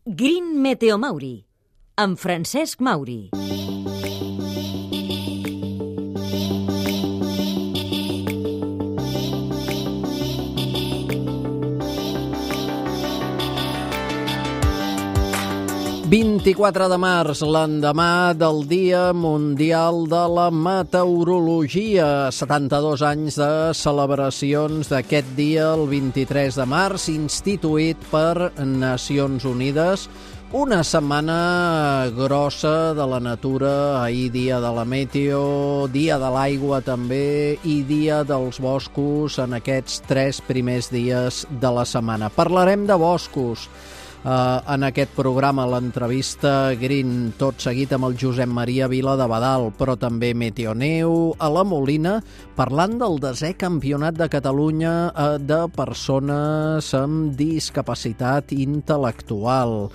Green Meteo Mauri, amb Francesc Mauri. «24 de març, l'endemà del Dia Mundial de la Meteorologia. 72 anys de celebracions d'aquest dia, el 23 de març, instituït per Nacions Unides. Una setmana grossa de la natura, ahir dia de la meteo, dia de l'aigua també i dia dels boscos en aquests 3 primers dies de la setmana. Parlarem de boscos en aquest programa, l'entrevista Green, tot seguit amb el Josep Maria Vila de Badal, però també Meteoneu a la Molina, parlant del 10è Campionat de Catalunya de persones amb discapacitat intel·lectual.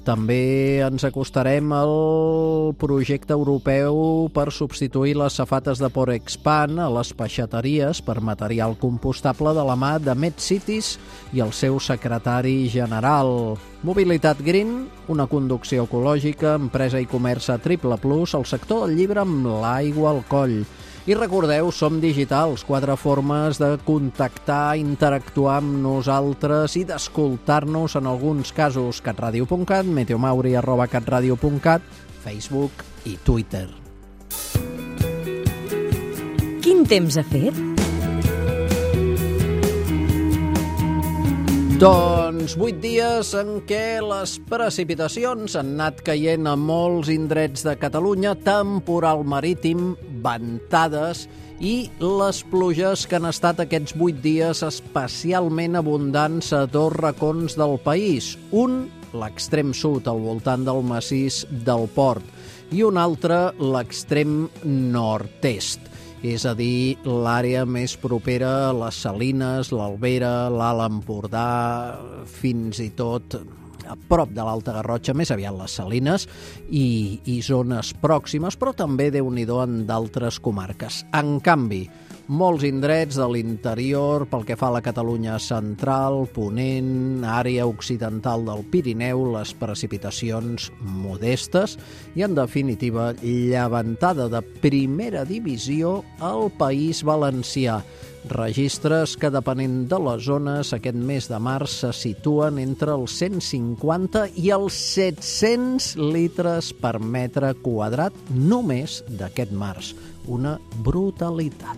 També ens acostarem al projecte europeu per substituir les safates de Porexpan a les peixateries per material compostable de la mà de MedCities i el seu secretari general. Mobilitat Green, una conducció ecològica, empresa i comerç a Triple Plus, el sector del llibre amb l'aigua al coll. I recordeu, som digitals, 4 formes de contactar, interactuar amb nosaltres i d'escoltar-nos en alguns casos: catradio.cat, meteomauri@catradio.cat, Facebook i Twitter. Quin temps ha fet? Doncs 8 dies en què les precipitacions han anat caient a molts indrets de Catalunya, temporal marítim, ventades i les pluges que han estat aquests 8 dies especialment abundants a 2 racons del país. Un, l'extrem sud, al voltant del massís del Port, i un altre, l'extrem nord-est. És a dir, l'àrea més propera a les Salines, l'Albera, l'Alt Empordà, fins i tot a prop de l'Alta Garrotxa, més aviat les Salines, i zones pròximes, però també, Déu-n'hi-do, en d'altres comarques. En canvi, molts indrets de l'interior, pel que fa a la Catalunya central, Ponent, àrea occidental del Pirineu, les precipitacions modestes i, en definitiva, llevantada de primera divisió al País Valencià. Registres que, depenent de les zones, aquest mes de març se situen entre els 150 i els 700 litres per metre quadrat només d'aquest març. Una brutalitat.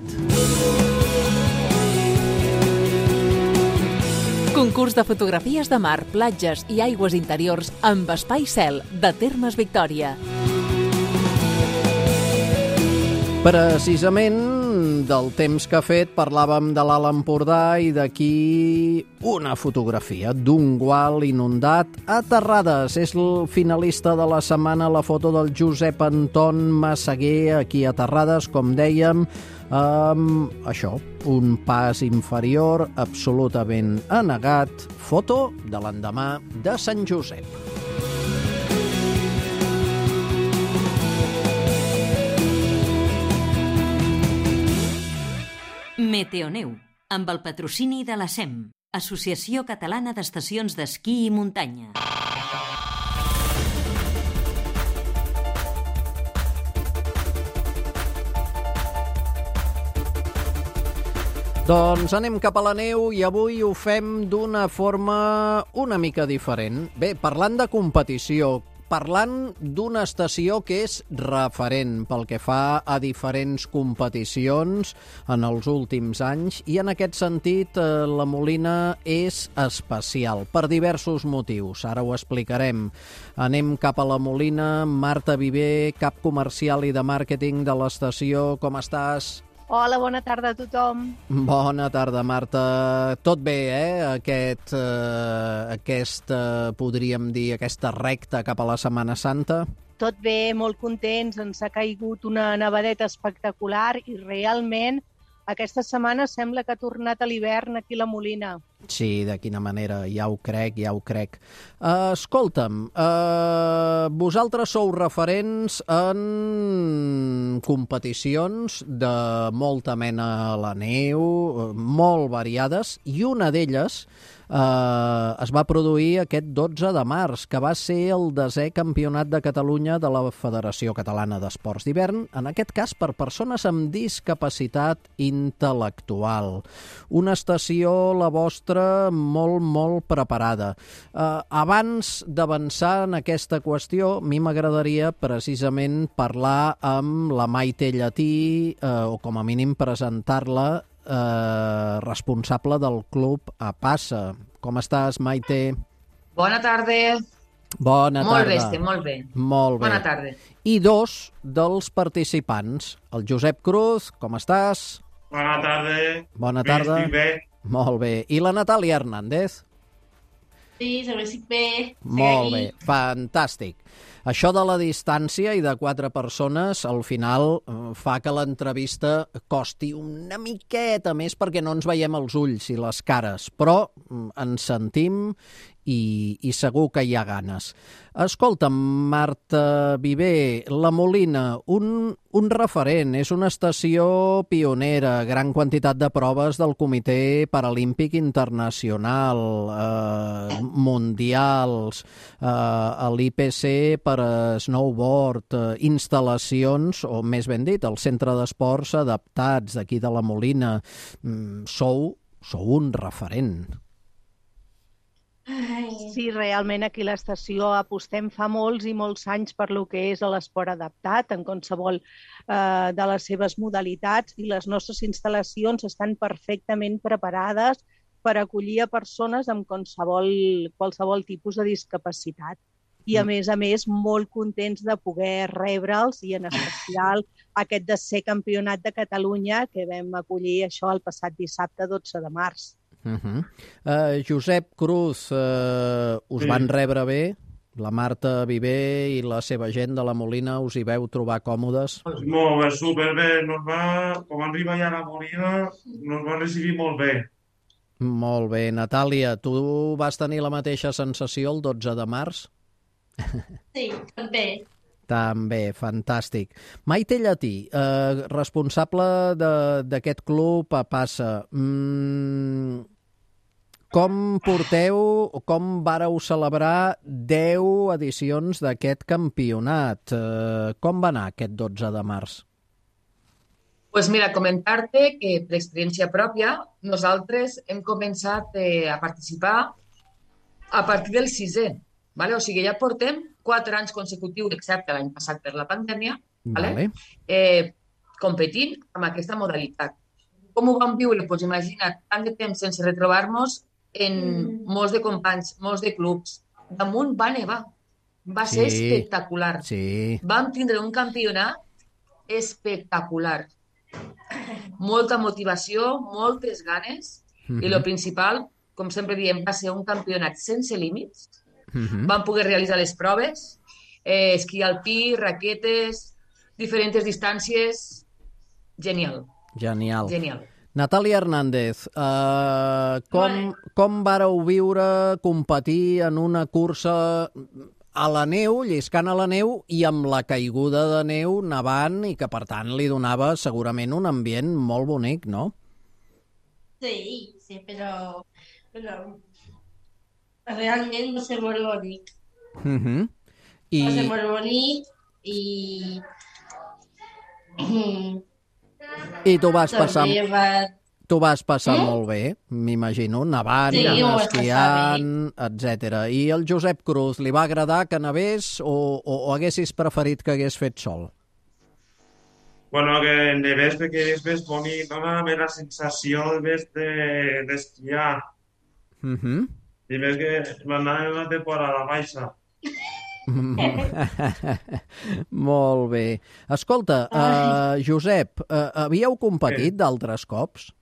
Concurs de fotografies de mar, platges i aigües interiors amb espai cel de Termes Victòria. Precisament del temps que ha fet parlàvem de l'Alt Empordà i d'aquí una fotografia d'un gual inundat a Terrades. És el finalista de la setmana, la foto del Josep Anton Massaguer, aquí a Terrades, com dèiem, amb això, un pas inferior absolutament anegat. Foto de l'endemà de Sant Josep. Meteoneu, amb el patrocini de la SEM, Associació Catalana d'Estacions d'Esquí i Muntanya. Doncs anem cap a la neu i avui ho fem d'una forma una mica diferent. Bé, parlant de competició, parlant d'una estació que és referent pel que fa a diferents competicions en els últims anys, i en aquest sentit la Molina és especial per diversos motius. Ara ho explicarem. Anem cap a la Molina. Marta Viver, cap comercial i de màrqueting de l'estació. Com estàs? Hola, bona tarda a tothom. Bona tarda, Marta. Tot bé, podríem dir, aquesta recta cap a la Setmana Santa? Tot bé, molt contents. Ens ha caigut una nevadeta espectacular i realment aquesta setmana sembla que ha tornat a l'hivern aquí a la Molina. Sí, de quina manera, ja ho crec. Escolta'm, vosaltres sou referents en competicions de molta mena a la neu, molt variades, i una d'elles es va produir aquest 12 de març, que va ser el 10è Campionat de Catalunya de la Federació Catalana d'Esports d'Hivern, en aquest cas per persones amb discapacitat intel·lectual. Una estació, la vostra, molt, molt preparada. Abans d'avançar en aquesta qüestió, a mi m'agradaria precisament parlar amb la Maite Llatí, o com a mínim presentar-la, responsable del club APASA. Com estàs, Maite? Bona tarda. Bona tarda. Molt bé, estem molt bé. Molt bé. Bona tarda. I dos dels participants. El Josep Cruz, com estàs? Bona tarda. Bona tarda. Estic bé. Molt bé. I la Natàlia Hernández? Sí, també estic bé. Molt bé, fantàstic. Això de la distància i de 4 persones, al final, fa que l'entrevista costi una miqueta més perquè no ens veiem els ulls i les cares, però ens sentim i segur que hi ha ganes. Escolta'm, Marta Viver, La Molina, un referent, és una estació pionera, gran quantitat de proves del Comitè Paralímpic Internacional, mundials, a l'IPC per a snowboard, instal·lacions, o més ben dit, el Centre d'Esports Adaptats d'aquí de La Molina. Sou un referent. Sí, realment aquí a l'estació apostem fa molts i molts anys per lo que és l'esport adaptat en qualsevol de les seves modalitats, i les nostres instal·lacions estan perfectament preparades per acollir a persones amb qualsevol tipus de discapacitat. I a més, molt contents de poder rebre'ls, i en especial aquest 10è Campionat de Catalunya que vam acollir això el passat dissabte 12 de març. Josep Cruz, us van rebre bé? La Marta Viver i la seva gent de La Molina, us hi veu trobar còmodes? Molt bé, superbé. Com arriba ja a La Molina, nos va recibir molt bé. Molt bé. Natàlia, tu vas tenir la mateixa sensació el 12 de març? Sí, també. També, fantàstic. Maite Llatí, responsable d'aquest club APASA. Com vàreu celebrar 10 edicions d'aquest campionat? Com va anar aquest 12 de març? Pues mira, comentar-te que per experiència pròpia nosaltres hem començat a participar a partir del 6è. Vale? O sigui, ja portem 4 anys consecutius, excepte l'any passat per la pandèmia, vale? Competint amb aquesta modalitat. Com ho vam viure? Pues imagina't, tant de temps sense retrobar-nos en molts de companys, molts de clubs. Damunt va nevar. Va ser espectacular. Sí. Vam tindre un campionat espectacular. Molta motivació, moltes ganes, i el principal, com sempre diem, va ser un campionat sense límits. Vam poder realitzar les proves, esquí alpí, raquetes, diferents distàncies. Genial. Genial. Natàlia Hernández, com vàreu viure competir en una cursa a la neu, lliscant a la neu, i amb la caiguda de neu nevant, i que per tant li donava segurament un ambient molt bonic, no? Sí, però realment va ser molt bonic. Va ser molt bonic i tu vas passar molt bé, m'imagino, nevant, esquiant, etc. I el Josep Cruz, li va agradar que nevés o haguessis preferit que hagués fet sol? Bueno, que nevés perquè és més bonic, dona més la sensació d'esquiar. I més que m'anava en una temporada baixa. Molt bé. Escolta, Josep, havíeu competit d'altres cops?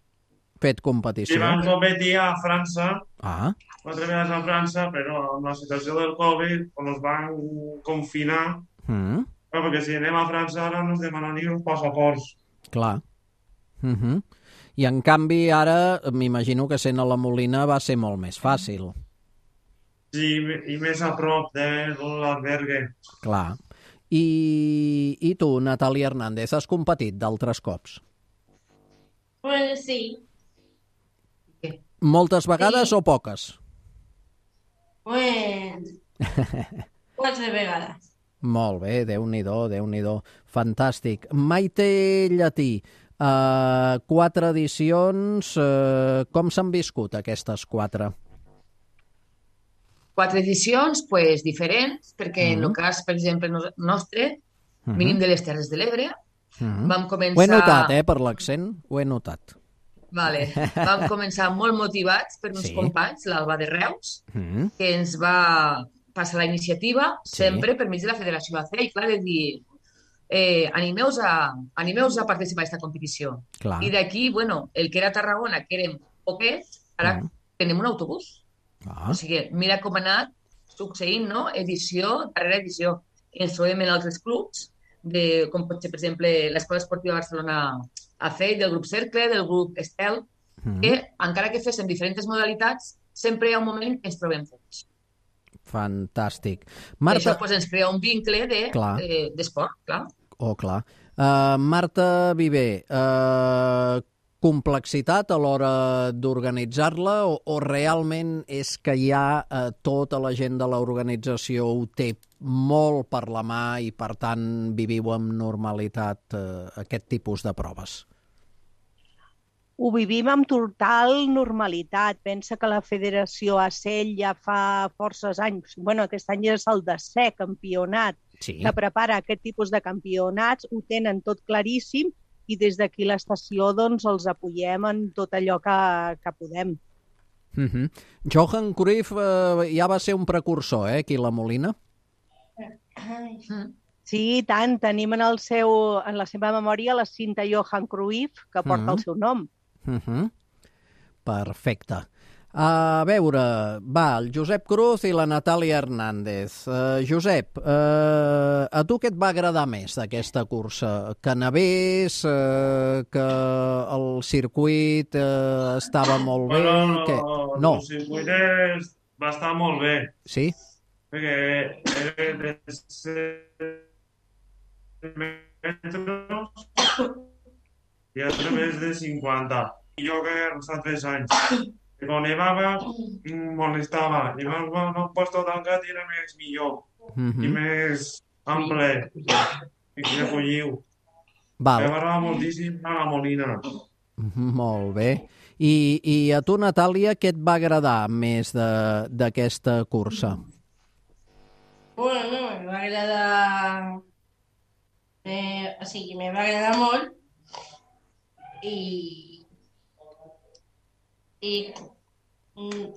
Fet competició? Sí, vam competir a França, 4 vegades a França, però amb la situació del Covid ens van confinar, perquè si anem a França ara ens demanaran uns passaports. Clar. I en canvi ara m'imagino que sent a La Molina va ser molt més fàcil. Sí, i més a prop de l'albergue. Clar. I tu, Natàlia Hernández, has competit d'altres cops? Bueno, sí. Moltes vegades o poques? Pues 4 vegades. Molt bé, Déu-n'hi-do, Déu-n'hi-do. Fantàstic. Maite Llatí, 4 edicions, com s'han viscut aquestes 4? 4 edicions, pues, diferents, perquè en el cas, per exemple, nostre, mínim de les Terres de l'Ebre, vam començar... Ho he notat, per l'accent, ho he notat. Vale. Vam començar molt motivats per uns companys, l'Alba de Reus, que ens va passar la iniciativa, sempre per mig de la Federació AC, i clar, de dir, animeu-vos a participar en aquesta competició. Clar. I d'aquí, bueno, el que era Tarragona, que érem poquets, ara tenim un autobús. O sigui, mira com ha anat succeint, no? Edició darrere edició. Ens trobem en altres clubs, com pot ser, per exemple, l'Escola Esportiva Barcelona AC, del grup Cercle, del grup Estel, que encara que féssim diferents modalitats, sempre hi ha un moment que ens trobem tots. Fantàstic. Marta... Això ens crea un vincle d'esport, clar. Clar. Marta Viver, complexitat a l'hora d'organitzar-la o realment és que ja tota la gent de l'organització ho té molt per la mà i per tant viviu amb normalitat aquest tipus de proves? Ho vivim amb total normalitat. Pensa que la Federació ACEL ja fa forces anys, aquest any és el 10è campionat que prepara aquest tipus de campionats, ho tenen tot claríssim i des d'aquí l'estació els apoyem en tot allò que podem. Johan Cruyff ja va ser un precursor, aquí a la Molina? Sí, i tant. Tenim en la seva memòria la cinta Johan Cruyff, que porta el seu nom. Perfecte. A veure, el Josep Cruz i la Natàlia Hernández. Josep, a tu què et va agradar més d'aquesta cursa? Que nevés, que el circuit estava molt bé? El circuit va estar molt bé. Sí? Perquè era de 100 metres i altre més de 50. I jo que els 3 anys. Quan nevava, molestava. I m'han puesto tancat i era més millor. I més ample. I que recolliu. M'agrada moltíssim a la Molina. Molt bé. I a tu, Natàlia, què et va agradar més d'aquesta cursa? Bueno, me va agradar... O sigui, me va agradar molt i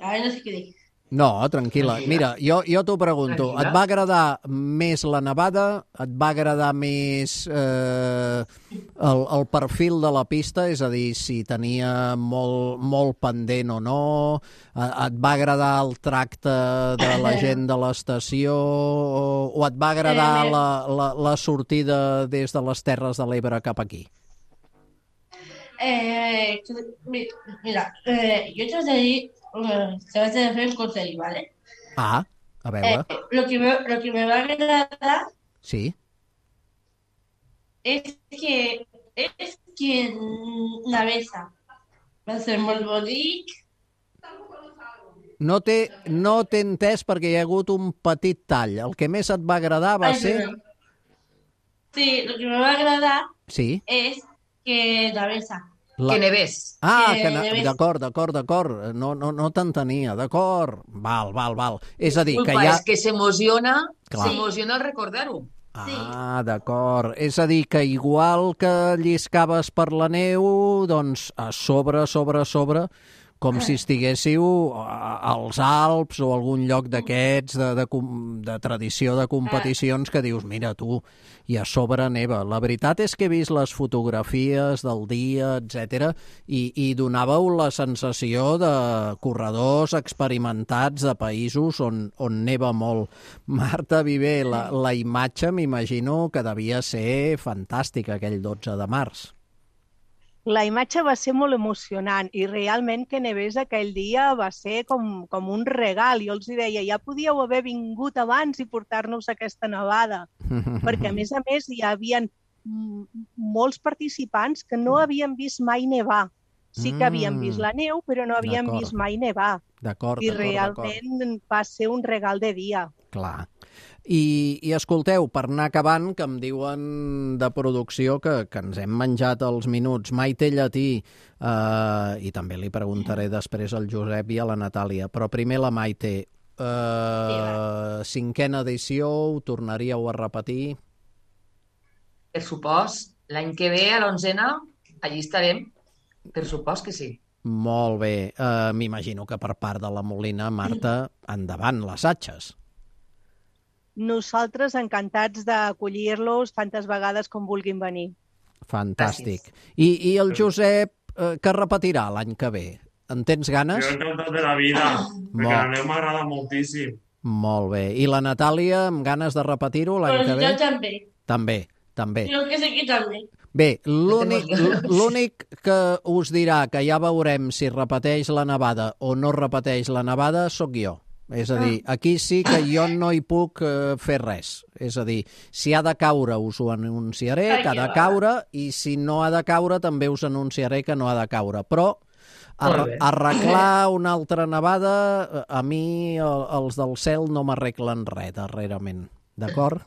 ara no sé què dir. No, tranquil·la. Mira, jo t'ho pregunto. Et va agradar més la nevada? Et va agradar més el perfil de la pista? És a dir, si tenia molt pendent o no? Et va agradar el tracte de la gent de l'estació? O et va agradar la sortida des de les Terres de l'Ebre cap aquí? Mira, yo te voy a decir, te vas a hacer un consejo, ¿vale? A veure. Lo que me va a agradar sí. es que navesa. Va a ser molt bonic. No t'he entès perquè hi ha hagut un petit tall. El que més et va agradar va ser... Sí, lo que me va a agradar es que navesa. Que nevés. D'acord. No t'entenia. D'acord. Val. És a dir, que és que s'emociona al recordar-ho. D'acord. És a dir, que igual que lliscaves per la neu, doncs a sobre, com si estiguéssiu als Alps o algun lloc d'aquests de tradició de competicions que dius, mira tu, i a sobre neva. La veritat és que he vist les fotografies del dia, etc. i donàveu la sensació de corredors experimentats de països on neva molt. Marta Viver, la imatge m'imagino que devia ser fantàstica aquell 12 de març. La imatge va ser molt emocionant i realment que nevés aquell dia va ser com un regal. Jo els deia, ja podíeu haver vingut abans i portar-nos aquesta nevada, perquè a més hi havia molts participants que no havien vist mai nevar Sí que havíem vist la neu, però no havíem D'acord. vist mai nevar. D'acord, I d'acord. realment va ser un regal de dia. Clar. I escolteu, per anar acabant, que em diuen de producció que ens hem menjat els minuts. Maite Llatí, i també li preguntaré després al Josep i a la Natàlia, però primer la Maite. 5ª edició, ho tornaríeu a repetir? Per supost, l'any que ve, a l'11ª, allí estarem. Per supost que sí. Molt bé. M'imagino que per part de la Molina, Marta, endavant, les atxes. Nosaltres encantats d'acollir-los tantes vegades com vulguin venir. Fantàstic. I el Josep, que repetirà l'any que ve? En tens ganes? Jo encantat de la vida, perquè la neu m'agrada moltíssim. Molt bé. I la Natàlia, amb ganes de repetir-ho l'any que ve? Jo també. També. Jo que sé que també. Bé, l'únic que us dirà que ja veurem si repeteix la nevada o no repeteix la nevada sóc jo. És a dir, aquí sí que jo no hi puc fer res. És a dir, si ha de caure us ho anunciaré, que ha de caure, i si no ha de caure també us anunciaré que no ha de caure. Però arreglar una altra nevada, a mi els del cel no m'arreglen res darrerament. D'acord?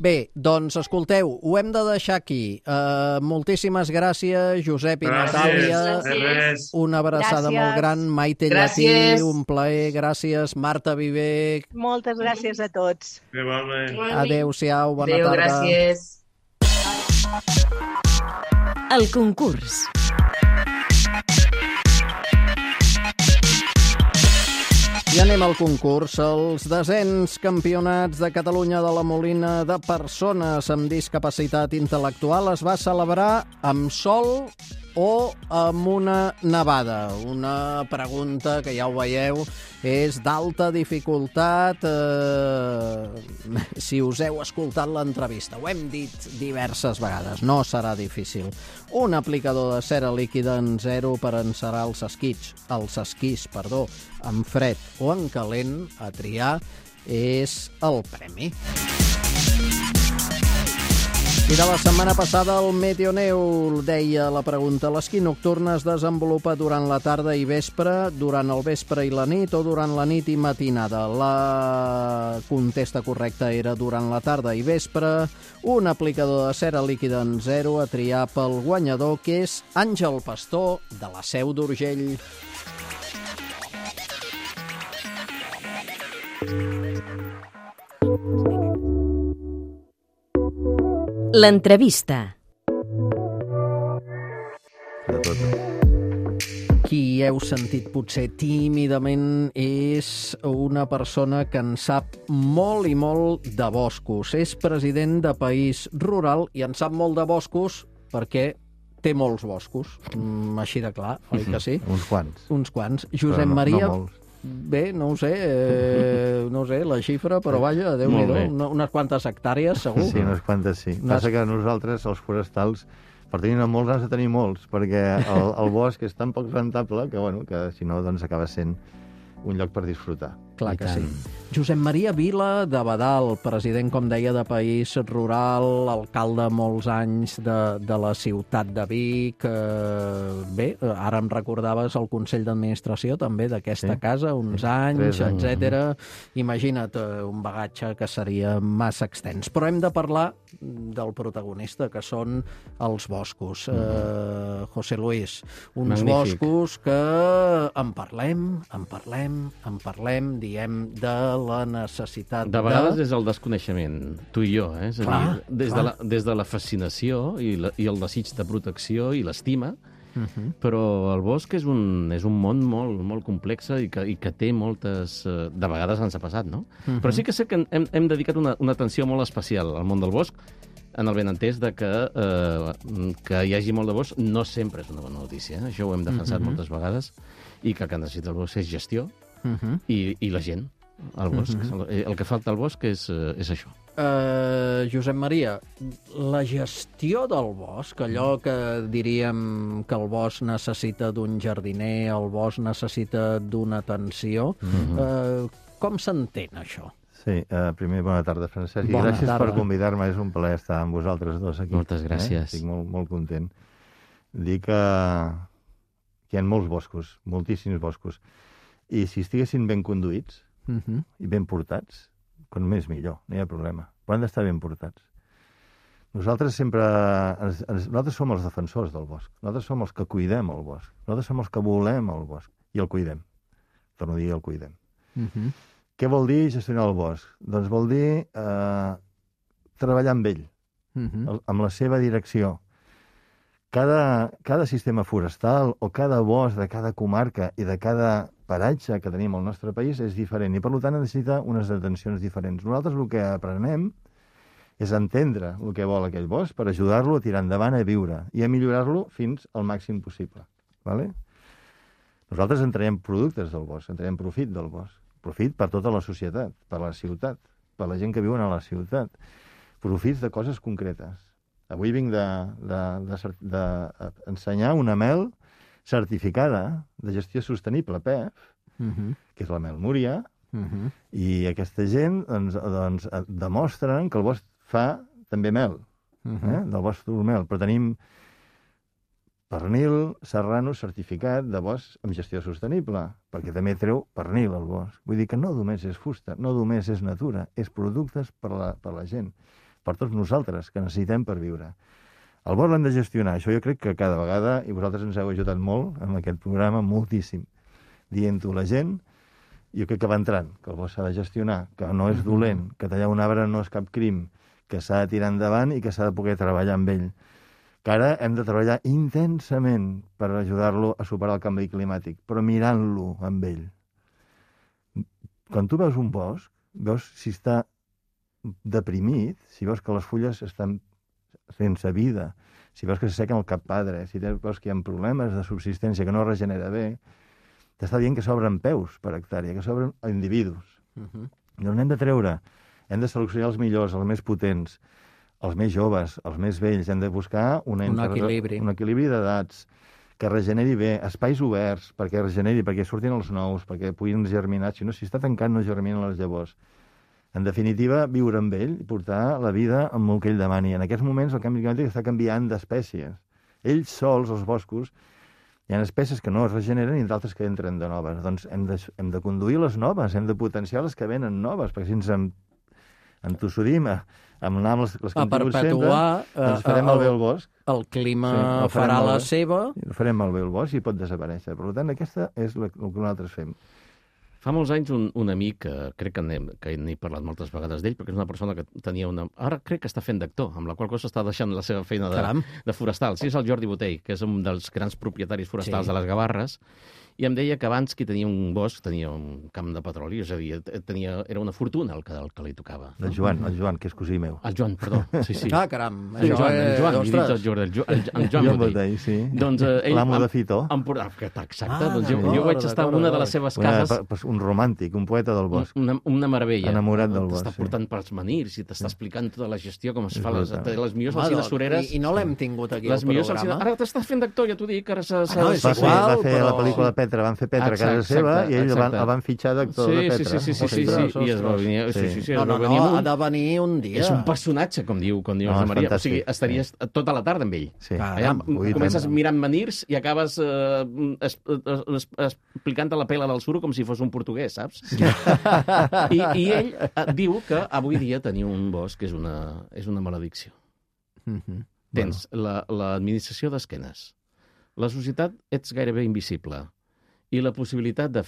Bé, doncs escolteu, ho hem de deixar aquí. Moltíssimes gràcies, Josep i Natàlia. Una abraçada molt gran. Maite Llatí, un plaer, gràcies. Marta Viver. Moltes gràcies a tots. Adéu-siau, bona tarda. Adéu, gràcies. El concurs. I anem al concurs. Els 10è Campionats de Catalunya de la Molina de persones amb discapacitat intel·lectual es va celebrar amb sol o amb una nevada? Una pregunta que ja ho veieu és d'alta dificultat. Si us heu escoltat l'entrevista, ho hem dit diverses vegades, no serà difícil. Un aplicador de cera líquida en 0 per encerar els esquís, en fred o en calent, a triar, és el premi. I de la setmana passada el Meteoneu deia la pregunta: l'esquí nocturn es desenvolupa durant la tarda i vespre, durant el vespre i la nit o durant la nit i matinada? La contesta correcta era durant la tarda i vespre. Un aplicador de cera líquida en 0 a triar pel guanyador, que és Àngel Pastor, de la Seu d'Urgell. L'entrevista. Qui heu sentit potser tímidament és una persona que en sap molt i molt de boscos. És president de País Rural i en sap molt de boscos perquè té molts boscos. Així de clar, oi que sí? Uns quants. Uns quants. Josep Maria... No molts. Bé, no ho sé, la xifra, però vaja, Déu-n'hi-do, unes quantes hectàrees, segur. Sí, unes quantes, sí. Passa que nosaltres, els forestals, per tenir molts, has de tenir molts, perquè el bosc és tan poc rentable que si no, doncs acaba sent un lloc per disfrutar. Clar que sí. Josep Maria Vila de Badal, president, com deia, de País Rural, alcalde molts anys de la ciutat de Vic. Bé, ara em recordaves el Consell d'Administració també d'aquesta casa, uns anys, etc. Imagina't un bagatge que seria massa extens. Però hem de parlar del protagonista, que són els boscos. José Luis, uns boscos que en parlem, diem de la necessitat de vegades és el desconeixement, tu i jo, és a dir, des de la fascinació i el desig de protecció i l'estima, però el bosc és un món molt complex i que té moltes... De vegades ens ha passat, no? Però sí que sé que hem dedicat una atenció molt especial al món del bosc, en el benentès de que hi hagi molt de bosc no sempre és una bona notícia. Això ho hem defensat moltes vegades, i que necessita el bosc és gestió, i la gent, al bosc. El que falta al bosc és això. Josep Maria, la gestió del bosc, allò que diríem que el bosc necessita d'un jardiner, el bosc necessita d'una atenció, com s'entén això? Sí, primer, bona tarda, Francesc, i gràcies per convidar-me, és un plaer estar amb vosaltres dos aquí. Moltes gràcies. Estic molt content. dir que hi ha molts boscos, moltíssims boscos, i si estiguessin ben conduïts i ben portats, com més millor, no hi ha problema. Però han d'estar ben portats. Nosaltres nosaltres som els defensors del bosc. Nosaltres som els que cuidem el bosc. Nosaltres som els que volem el bosc. I el cuidem. Torno a dir, el cuidem. Què vol dir gestionar el bosc? Doncs vol dir treballar amb ell, amb la seva direcció. Cada sistema forestal o cada bosc de cada comarca i de cada paratge que tenim al nostre país és diferent i, per tant, necessita unes atencions diferents. Nosaltres el que aprenem és entendre el que vol aquell bosc per ajudar-lo a tirar endavant, a viure i a millorar-lo fins al màxim possible. Vale? Nosaltres en traiem productes del bosc, en traiem profit del bosc. Profit per tota la societat, per la ciutat, per la gent que viuen a la ciutat. Profits de coses concretes. Avui vinc d'ensenyar una mel certificada de gestió sostenible, PEF, que és la mel Múria, i aquesta gent doncs, demostren que el bosc fa també mel, del bosc mel, però tenim pernil serrano certificat de bosc amb gestió sostenible, perquè també treu pernil al bosc. Vull dir que no només és fusta, no només és natura, és productes per la gent, per tots nosaltres, que necessitem per viure. El bosc l'hem de gestionar, això jo crec que cada vegada, i vosaltres ens heu ajudat molt en aquest programa, moltíssim, dient-ho a la gent, jo crec que va entrant, que el bosc s'ha de gestionar, que no és dolent, que tallar un arbre no és cap crim, que s'ha de tirar endavant i que s'ha de poder treballar amb ell. Que ara hem de treballar intensament per ajudar-lo a superar el canvi climàtic, però mirant-lo amb ell. Quan tu veus un bosc, veus si està deprimit, si veus que les fulles estan sense vida, si veus que s'assequen el cappadre, si veus que hi ha problemes de subsistència, que no regenera bé, t'està dient que s'obren peus per hectàrea, que s'obren individus. Doncs n'hem de treure, hem de seleccionar els millors, els més potents, els més joves, els més vells, hem de buscar un equilibri d'edats, que regeneri bé, espais oberts perquè regeneri, perquè surtin els nous, perquè puguin germinar, si no, si està tancat no germinen les llavors. En definitiva, viure amb ell i portar la vida amb el que ell demani. En aquests moments el canvi climàtic està canviant d'espècies. Ells sols, els boscos, hi ha espècies que no es regeneren i d'altres que entren de noves. Doncs hem de conduir les noves, hem de potenciar les que venen noves, perquè si ens entossudim a anar amb les que hem tingut sempre, doncs farem malbé el bosc. El clima farà la seva. Farem malbé el bosc i pot desaparèixer. Per tant, aquesta és el que nosaltres fem. Fa molts anys un amic, crec que n'he parlat moltes vegades d'ell, perquè és una persona que tenia una... Ara crec que està fent d'actor, amb la qual cosa està deixant la seva feina de forestal. Sí, és el Jordi Botell, que és un dels grans propietaris forestals de les Gavarres, i em deia que abans qui tenia un bosc tenia un camp de petroli, és a dir, era una fortuna el que li tocava. El Joan, que és cosí meu. El Joan, perdó, sí. Ah, caram. El Joan, he dit el Joan Botell. Sí. Doncs l'amo de Fito. Exacte, doncs jo vaig estar en una de les seves cases. Un romàntic, un poeta del bosc. Una meravella. Enamorat del bosc. T'està portant pels menirs i t'està explicant tota la gestió, com es fa, les millors alcines sureres. I no l'hem tingut aquí al programa. Ara t'estàs fent d'actor, ja t'ho dic. Va fer la pel·lícula Petra, van fer Petra a casa seva i ell el van fitxar d'actor de Petra. Sí, i es va venir... No, ha de venir un dia. És un personatge, com diu la Maria. O sigui, estaries tota la tarda amb ell. Comences mirant menirs i acabes explicant la pela del suro com si fos un portuguès, saps? I ell diu que avui dia tenir un bosc és una maledicció. Tens l'administració d'esquenes. La societat ets gairebé invisible. I la possibilitat de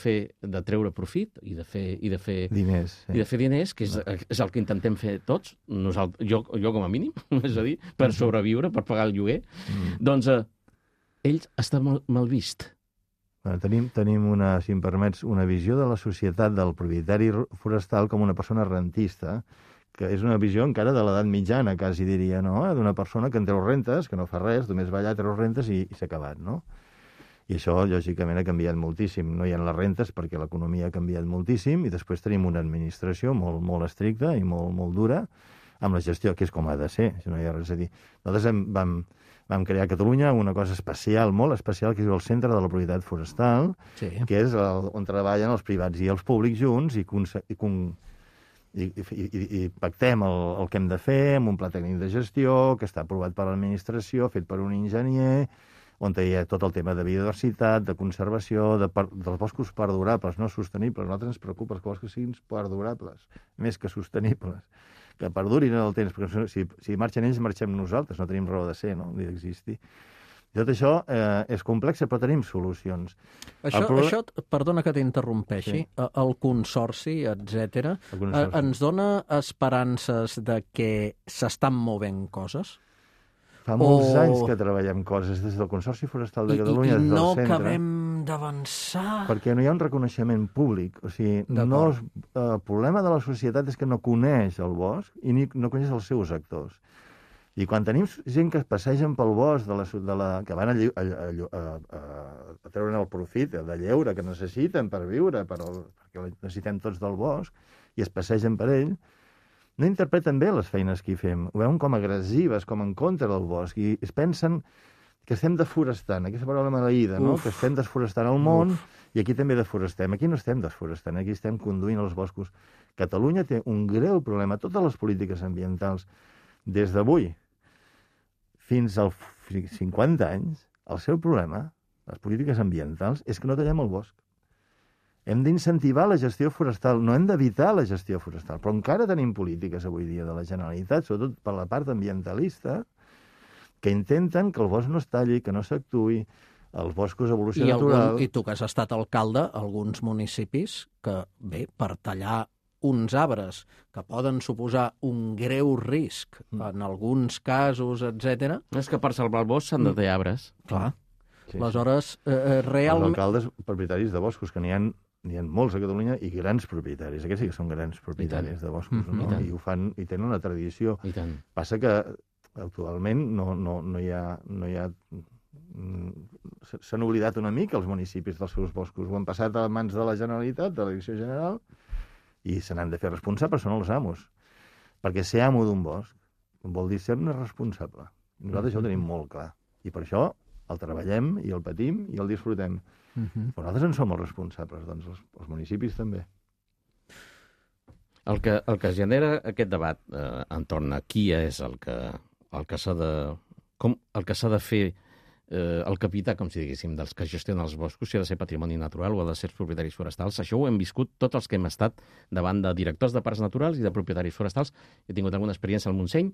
treure profit i de fer diners, que és el que intentem fer tots, jo com a mínim, és a dir, per sobreviure, per pagar el lloguer, doncs ell està mal vist. Tenim si em permets, una visió de la societat del propietari forestal com una persona rentista, que és una visió encara de l'edat mitjana, quasi diria, no? D'una persona que en treu rentes, que no fa res, només va allà, treu rentes i s'ha acabat, no? I això, lògicament, ha canviat moltíssim. No hi ha les rentes perquè l'economia ha canviat moltíssim i després tenim una administració molt, molt estricta i molt, molt dura amb la gestió, que és com ha de ser, si no hi ha res a dir. Nosaltres vam crear a Catalunya una cosa especial, molt especial, que és el Centre de la Propietat Forestal, que és on treballen els privats i els públics junts i pactem el que hem de fer amb un pla tècnic de gestió que està aprovat per l'administració, fet per un enginyer, on hi ha tot el tema de biodiversitat, de conservació, dels boscos perdurables, no sostenibles. A nosaltres ens preocupa que els boscos siguin perdurables, més que sostenibles, que perdurin en el temps, perquè si marxen ells, marxem nosaltres, no tenim raó de ser, no? Ni d'existir. Tot això és complex, però tenim solucions. Això, perdona que t'interrompeixi, el consorci, etc. Ens dona esperances de que s'estan movent coses? Fa molts anys que treballem coses des del Consorci Forestal de Catalunya, des del centre. I no acabem d'avançar. Perquè no hi ha un reconeixement públic. O sigui, el problema de la societat és que no coneix el bosc i no coneix els seus actors. I quan tenim gent que es passegen pel bosc que van a treure el profit de lleure que necessiten per viure, perquè necessitem tots del bosc, i es passegen per ell, no interpreten bé les feines que hi fem. Ho veuen com agressives, com en contra del bosc, i es pensen que estem desforestant, aquesta paraula maleïda, no? Que estem desforestant el món, i aquí també desforestem. Aquí no estem desforestant, aquí estem conduint els boscos. Catalunya té un greu problema. Totes les polítiques ambientals, des d'avui fins als 50 anys, el seu problema, les polítiques ambientals, és que no tallem el bosc. Hem d'incentivar la gestió forestal, no hem d'evitar la gestió forestal, però encara tenim polítiques avui dia de la Generalitat, sobretot per la part ambientalista, que intenten que el bosc no es talli, que no s'actuï, els boscos evolució natural... I tu que has estat alcalde, alguns municipis que, bé, per tallar uns arbres que poden suposar un greu risc en alguns casos, etc. És que per salvar el bosc s'han de tallar arbres. Clar. Aleshores, realment... Els alcaldes propietaris de boscos, que n'hi ha molts a Catalunya, i grans propietaris. Aquests sí que són grans propietaris de boscos, no? I ho fan, i tenen una tradició. Passa que actualment no hi ha... S'han oblidat una mica els municipis dels seus boscos. Ho han passat a mans de la Generalitat, de la Direcció General, i se n'han de fer responsables, són els amos. Perquè ser amo d'un bosc vol dir ser-ne responsable. Nosaltres això ho tenim molt clar. I per això el treballem, i el patim, i el disfrutem. Però nosaltres en som els responsables, doncs els municipis també. El que genera aquest debat entorn a qui és el que s'ha de fer el capità, com si diguéssim, dels que gestionen els boscos, si ha de ser patrimoni natural o ha de ser propietaris forestals. Això ho hem viscut tots els que hem estat davant de directors de parcs naturals i de propietaris forestals. He tingut alguna experiència al Montseny,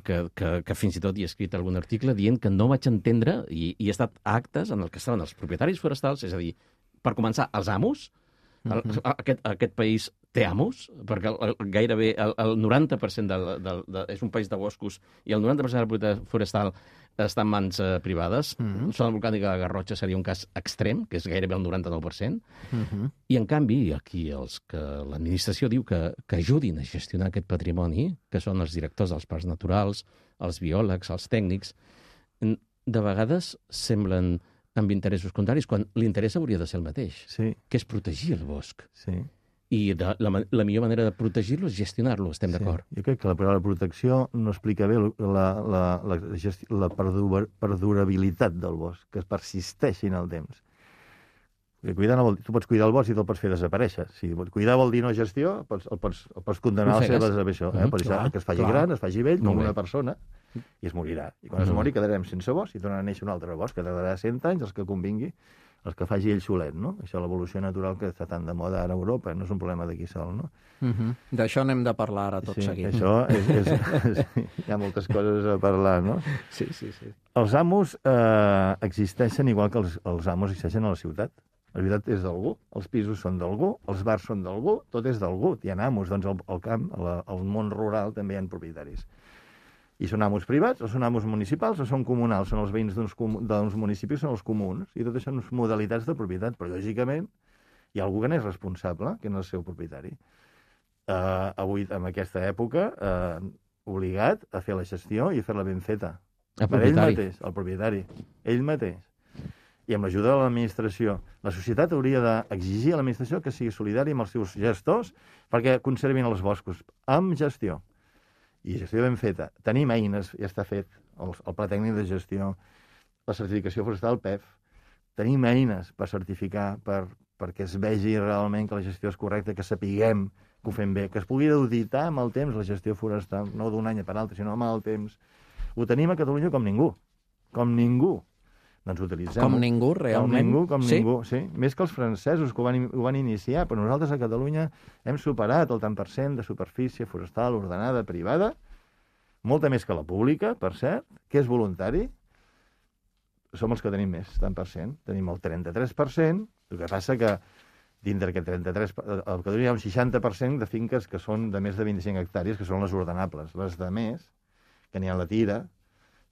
que fins i tot hi he escrit algun article dient que no vaig entendre, i he estat a actes en el que estaven els propietaris forestals, és a dir, per començar, els amos. Aquest país té amos, perquè gairebé el 90% és un país de boscos i el 90% de la propietat forestal està en mans privades. Zona volcànica de Garrotxa seria un cas extrem, que és gairebé el 99%. I, en canvi, aquí l'administració diu que ajudin a gestionar aquest patrimoni, que són els directors dels parcs naturals, els biòlegs, els tècnics, de vegades semblen amb interessos contraris, quan l'interès hauria de ser el mateix, que és protegir el bosc. I la millor manera de protegir-lo és gestionar-lo, estem d'acord. Jo crec que la paraula protecció no explica bé la perdurabilitat del bosc, que es persisteixi en el temps. Tu pots cuidar el bosc i te'l pots fer desaparèixer. Si cuidar vol dir no gestió, el pots condenar a la seva desaparició. Per això que es faci gran, es faci vell, com una persona, i es morirà. I quan es mori quedarem sense bosc i tornarà a néixer un altre bosc, que tardarà 100 anys, els que convingui, els que faci ell solet, no? Això, l'evolució natural que està tan de moda ara a Europa, no és un problema d'aquí sol, no? D'això n'hem de parlar ara tot seguit. Això hi ha moltes coses a parlar, no? Sí. Els amos existeixen igual que els amos existeixen a la ciutat. La ciutat és d'algú, els pisos són d'algú, els bars són d'algú, tot és d'algú. Hi ha amos, doncs al camp, al món rural també hi ha propietaris. I són amos privats, o són amos municipals, o són comunals, són els veïns d'uns municipis, són els comuns, i tot això són modalitats de propietat, però lògicament hi ha algú que n'és responsable, que no és el seu propietari. Avui, en aquesta època, obligat a fer la gestió i a fer-la ben feta. Per ell mateix, el propietari, ell mateix. I amb l'ajuda de l'administració. La societat hauria d'exigir a l'administració que sigui solidària amb els seus gestors perquè conservin els boscos, amb gestió. I gestió ben feta. Tenim eines, ja està fet, el Pla Tècnic de Gestió, la certificació forestal PEF. Tenim eines per certificar, perquè es vegi realment que la gestió és correcta, que sapiguem que ho fem bé, que es pugui auditar amb el temps la gestió forestal, no d'un any per l'altre, sinó amb el temps. Ho tenim a Catalunya com ningú. Doncs utilitzem-ho. Com ningú, realment. Com ningú, sí. Més que els francesos, que ho van iniciar, però nosaltres a Catalunya hem superat el tant per cent de superfície forestal ordenada privada, molta més que la pública, per cert, que és voluntari. Som els que tenim més, tant per cent. Tenim el 33%, el que passa que dintre d'aquest 33%, a Catalunya hi ha un 60% de finques que són de més de 25 hectàrees, que són les ordenables. Les de més, que n'hi ha la tira,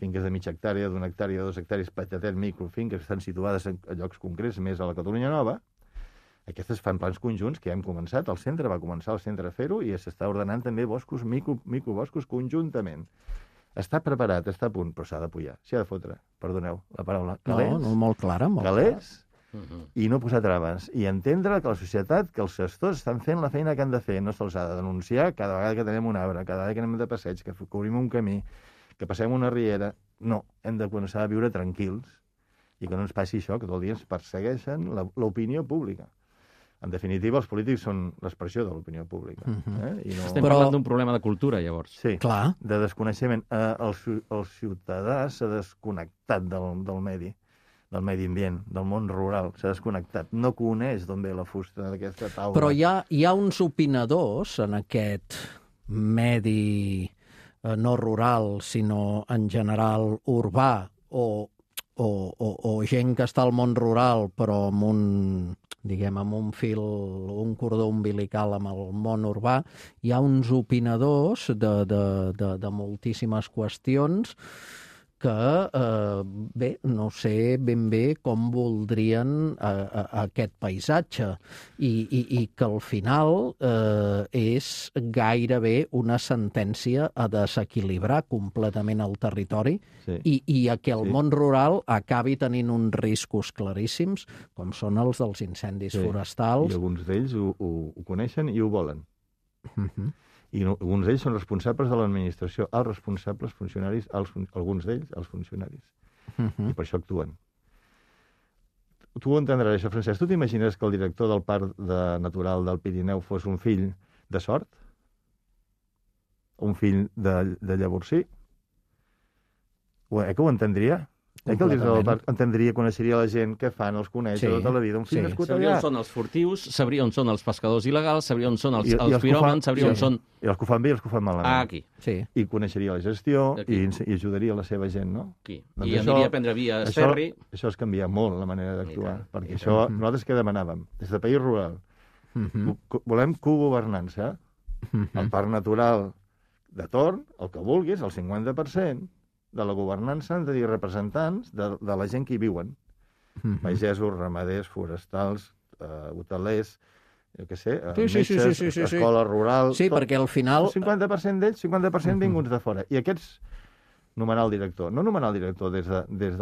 finques de mitja hectàrea, d'una hectàrea, de 2 hectàrees, petatet, microfinques, que estan situades a llocs concrets, més a la Catalunya Nova. Aquestes fan plans conjunts que ja hem començat. El centre va començar el centre a fer-ho i s'està ordenant també boscos, microboscos conjuntament. Està preparat, està a punt, però s'ha d'apoyar, s'ha de fotre, perdoneu la paraula. Calés, no, molt clara, molt calés, i no posar traves. I entendre que la societat, que els gestors estan fent la feina que han de fer, no se'ls ha de denunciar cada vegada que tenim un arbre, cada vegada que anem de passeig, que cobrim un camí, que passem una riera. No, hem de començar a viure tranquils i que no ens passi això, que tot el dia ens persegueixen l'opinió pública. En definitiva, els polítics són l'expressió de l'opinió pública. I no... Estem parlant d'un problema de cultura, llavors. Sí, clar, de desconeixement. El ciutadà s'ha desconnectat del medi ambient, del món rural, s'ha desconnectat. No coneix d'on ve la fusta d'aquesta taula. però hi ha uns opinadors en aquest medi no rural, sinó en general urbà, o gent que està al món rural, però amb un fil, un cordó umbilical amb el món urbà. Hi ha uns opinadors de moltíssimes qüestions que, bé, no sé ben bé com voldrien aquest paisatge i que al final és gairebé una sentència a desequilibrar completament el territori i a que el món rural acabi tenint uns riscos claríssims, com són els dels incendis forestals. I alguns d'ells ho coneixen i ho volen. I alguns d'ells són responsables de l'administració, els responsables funcionaris, alguns d'ells, els funcionaris. I per això actuen. Tu ho entendràs, això, Francesc. Tu t'imagines que el director del Parc Natural del Pirineu fos un fill de Sort? Un fill de Llavorsí? Que ho entendria? Que el director del parc entendria, coneixeria la gent, què fan, els coneix tota la vida. Un fill nascut allà. Sabria on són els furtius, sabria on són els pescadors il·legals, sabria on són els piròmans, sabria on són... I els que ho fan bé i els que ho fan malament. Aquí. I coneixeria la gestió i ajudaria la seva gent, no? Aquí. I aniria a prendre via ferri. Això es canvia molt, la manera d'actuar, perquè això nosaltres què demanàvem? Des de país rural. Volem cogovernança. El parc natural de torn, el que vulguis, el 50%, de la governança han de dir representants de la gent que hi viuen. Pagesos, ramaders, forestals, hotelers, jo què sé, metges, escola rural... Sí, perquè al final... El 50% d'ells, 50% vinguts de fora. I aquests, nomenar el director. No nomenar el director des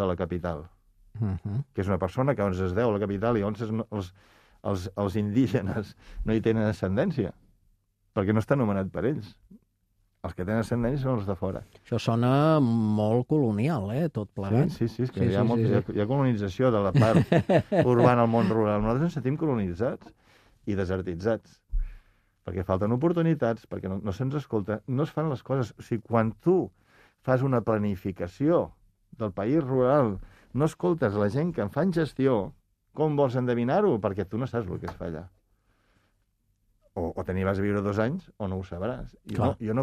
de la capital, que és una persona que on es deu a la capital i on els indígenes no hi tenen ascendència, perquè no està nomenat per ells. Els que tenen ascendència són els de fora. Això sona molt colonial, tot plegat. Sí, és que hi ha colonització de la part urbana al món rural. Nosaltres ens sentim colonitzats i desertitzats, perquè falten oportunitats, perquè no se'ns escolta, no es fan les coses. O sigui, quan tu fas una planificació del país rural, no escoltes la gent que en fan gestió, com vols endevinar-ho? Perquè tu no saps el que es fa allà. O te n'hi vas a viure 2 anys o no ho sabràs. Jo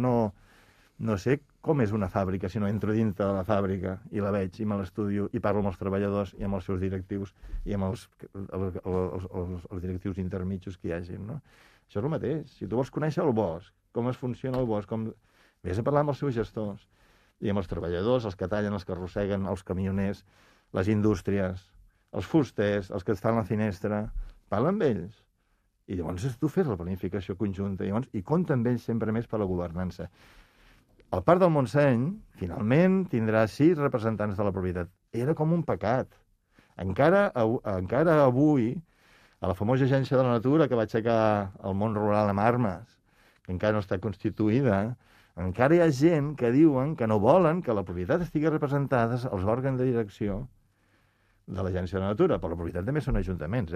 no sé com és una fàbrica si no entro dintre de la fàbrica i la veig i me l'estudio i parlo amb els treballadors i amb els seus directius i amb els directius intermitjos que hi hagin, no? Això és el mateix. Si tu vols conèixer el bosc, com es funciona el bosc, vés a parlar amb els seus gestors i amb els treballadors, els que tallen, els que arrosseguen, els camioners, les indústries, els fusters, els que et fan la finestra, parla amb ells. I llavors tu fes la planificació conjunta i compta amb ells sempre més per la governança. El Parc del Montseny, finalment, tindrà 6 representants de la propietat. Era com un pecat. Encara avui, a la famosa agència de la natura que va aixecar el món rural amb armes, que encara no està constituïda, encara hi ha gent que diuen que no volen que la propietat estigui representada als òrgans de direcció de l'agència de la natura. Però la propietat també són ajuntaments,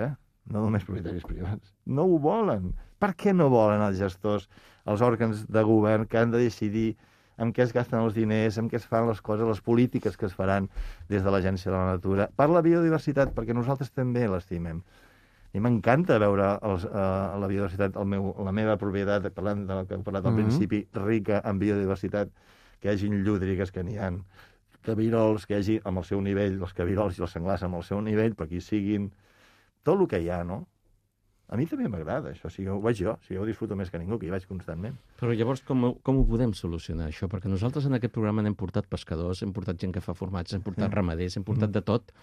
no només propietaris privats. No ho volen. Per què no volen els gestors, els òrgans de govern que han de decidir en què es gasten els diners, en què es fan les coses, les polítiques que es faran des de l'Agència de la Natura, per la biodiversitat, perquè nosaltres també l'estimem. I m'encanta veure la biodiversitat, la meva propietat, parlant del que he parlat al principi, rica en biodiversitat, que hi hagi llúdrigues, que n'hi ha, cabirols, que hi hagi amb el seu nivell, els cabirols i els senglars amb el seu nivell, per aquí siguin, tot el que hi ha, no? A mi també m'agrada això, ho veig jo, ho disfruto més que ningú, que hi vaig constantment. Però llavors com ho podem solucionar, això? Perquè nosaltres en aquest programa n'hem portat pescadors, hem portat gent que fa formats, hem portat ramaders, hem portat de tot.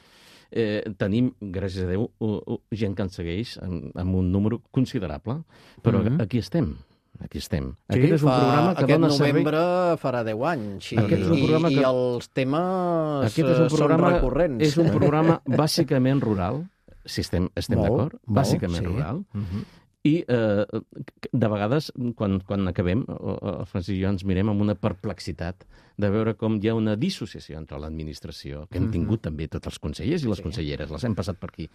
Tenim, gràcies a Déu, gent que ens segueix amb un número considerable, però aquí estem. Aquí estem. Sí, aquest és un programa que dona servei... Aquest novembre farà 10 anys i els temes són recurrents. És un programa bàsicament rural, si estem d'acord, bàsicament rural, i de vegades, quan acabem, el Francesc i jo ens mirem amb una perplexitat de veure com hi ha una dissociació entre l'administració, que hem tingut també tots els consellers i les conselleres, les hem passat per aquí.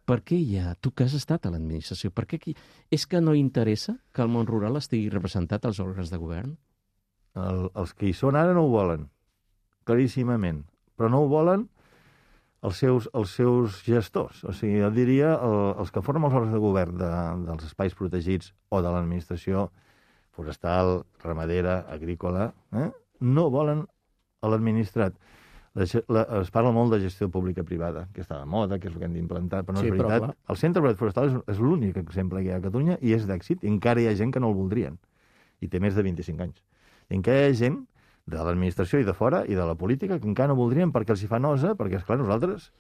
Per què tu que has estat a l'administració, per què aquí? És que no interessa que el món rural estigui representat als òrgans de govern? Els que hi són ara no ho volen, claríssimament, però no ho volen els seus gestors. O sigui, jo diria, els que formen els òrgans de govern dels espais protegits o de l'administració forestal, ramadera, agrícola, no volen l'administrat. Es parla molt de gestió pública-privada, que està de moda, que és el que hem d'implantar, però no és veritat. El Centre Obert Forestal és l'únic exemple que hi ha a Catalunya i és d'èxit, i encara hi ha gent que no el voldrien, i té més de 25 anys. I encara hi ha gent de l'administració i de fora i de la política que encara no voldrien perquè els hi fa nosa, perquè, esclar, nosaltres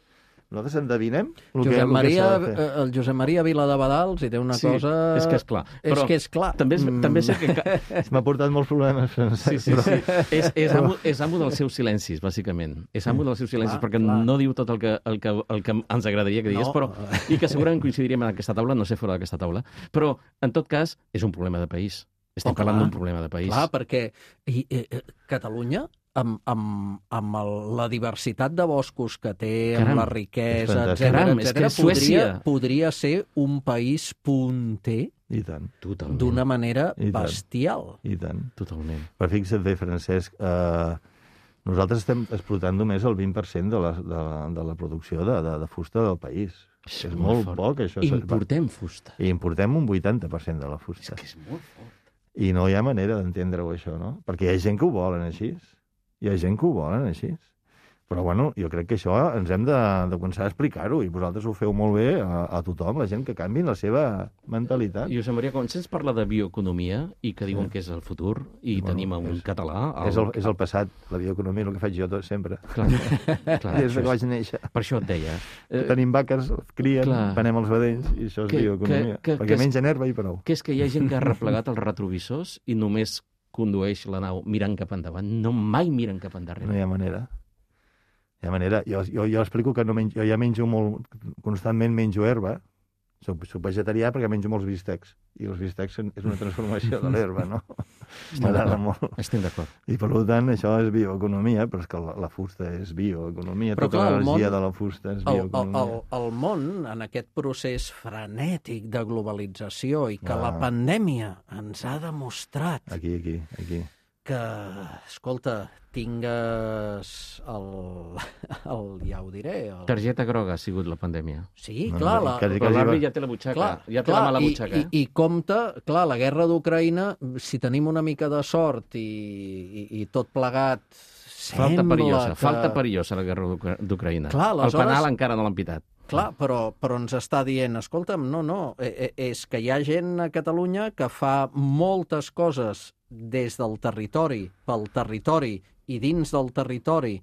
endevinem el que s'ha de fer. El Josep Maria Viladebadals hi té una cosa... És que és clar. És que és clar. També sé que... M'ha portat molts problemes, Francesc. Sí. És amo dels seus silencis, bàsicament. És amo dels seus silencis, perquè no diu tot el que ens agradaria que digués, però i que segurament coincidiríem en aquesta taula, no sé fora d'aquesta taula, però, en tot cas, és un problema de país. Estem parlant d'un problema de país. Clar, perquè Catalunya, amb la diversitat de boscos que té, amb la riquesa, etc., podria ser un país punter d'una manera bestial. I tant. Totalment. Però fixa't bé, Francesc, nosaltres estem explotant només el 20% de la producció de fusta del país. És molt poc, això. Importem fusta. I importem un 80% de la fusta. És que és molt fort. I no hi ha manera d'entendre-ho, això, no? Perquè hi ha gent que ho volen així. Hi ha gent que ho volen així. Però, bueno, jo crec que això ens hem de començar a explicar-ho, i vosaltres ho feu molt bé a tothom, la gent que canviï la seva mentalitat. Josep Maria, quan se'ns parla de bioeconomia i que diuen que és el futur, i tenim un català... És el passat, la bioeconomia, el que faig jo sempre. Clar, des que vaig néixer. Per això et deia. Tenim vaques, crien, venem els vedells, i això és bioeconomia. Perquè mengen herba i prou. Que és que hi ha gent que ha replegat els retrovisors i només condueix la nau mirant cap endavant, no mai miren cap endarrere. No hi ha manera. Hi ha manera. Jo explico que jo ja menjo molt, constantment menjo herba. Soc vegetarià perquè menjo molts bistecs. I els bistecs és una transformació de l'herba, no? M'agrada molt. Estem d'acord. I per tant, això és bioeconomia, però és que la fusta és bioeconomia. Tota l'energia de la fusta és bioeconomia. El món, en aquest procés frenètic de globalització i que la pandèmia ens ha demostrat... Aquí. Que, escolta, tingues ja ho diré... Targeta groga ha sigut la pandèmia. Sí, clar. Però l'àrbitre ja té la butxaca, ja té la mala butxaca. I compte, clar, la guerra d'Ucraïna, si tenim una mica de sort i tot plegat Falta perillosa la guerra d'Ucraïna. El penal encara no l'han pitat. Clar, però ens està dient, escolta'm, no, és que hi ha gent a Catalunya que fa moltes coses des del territori, pel territori i dins del territori,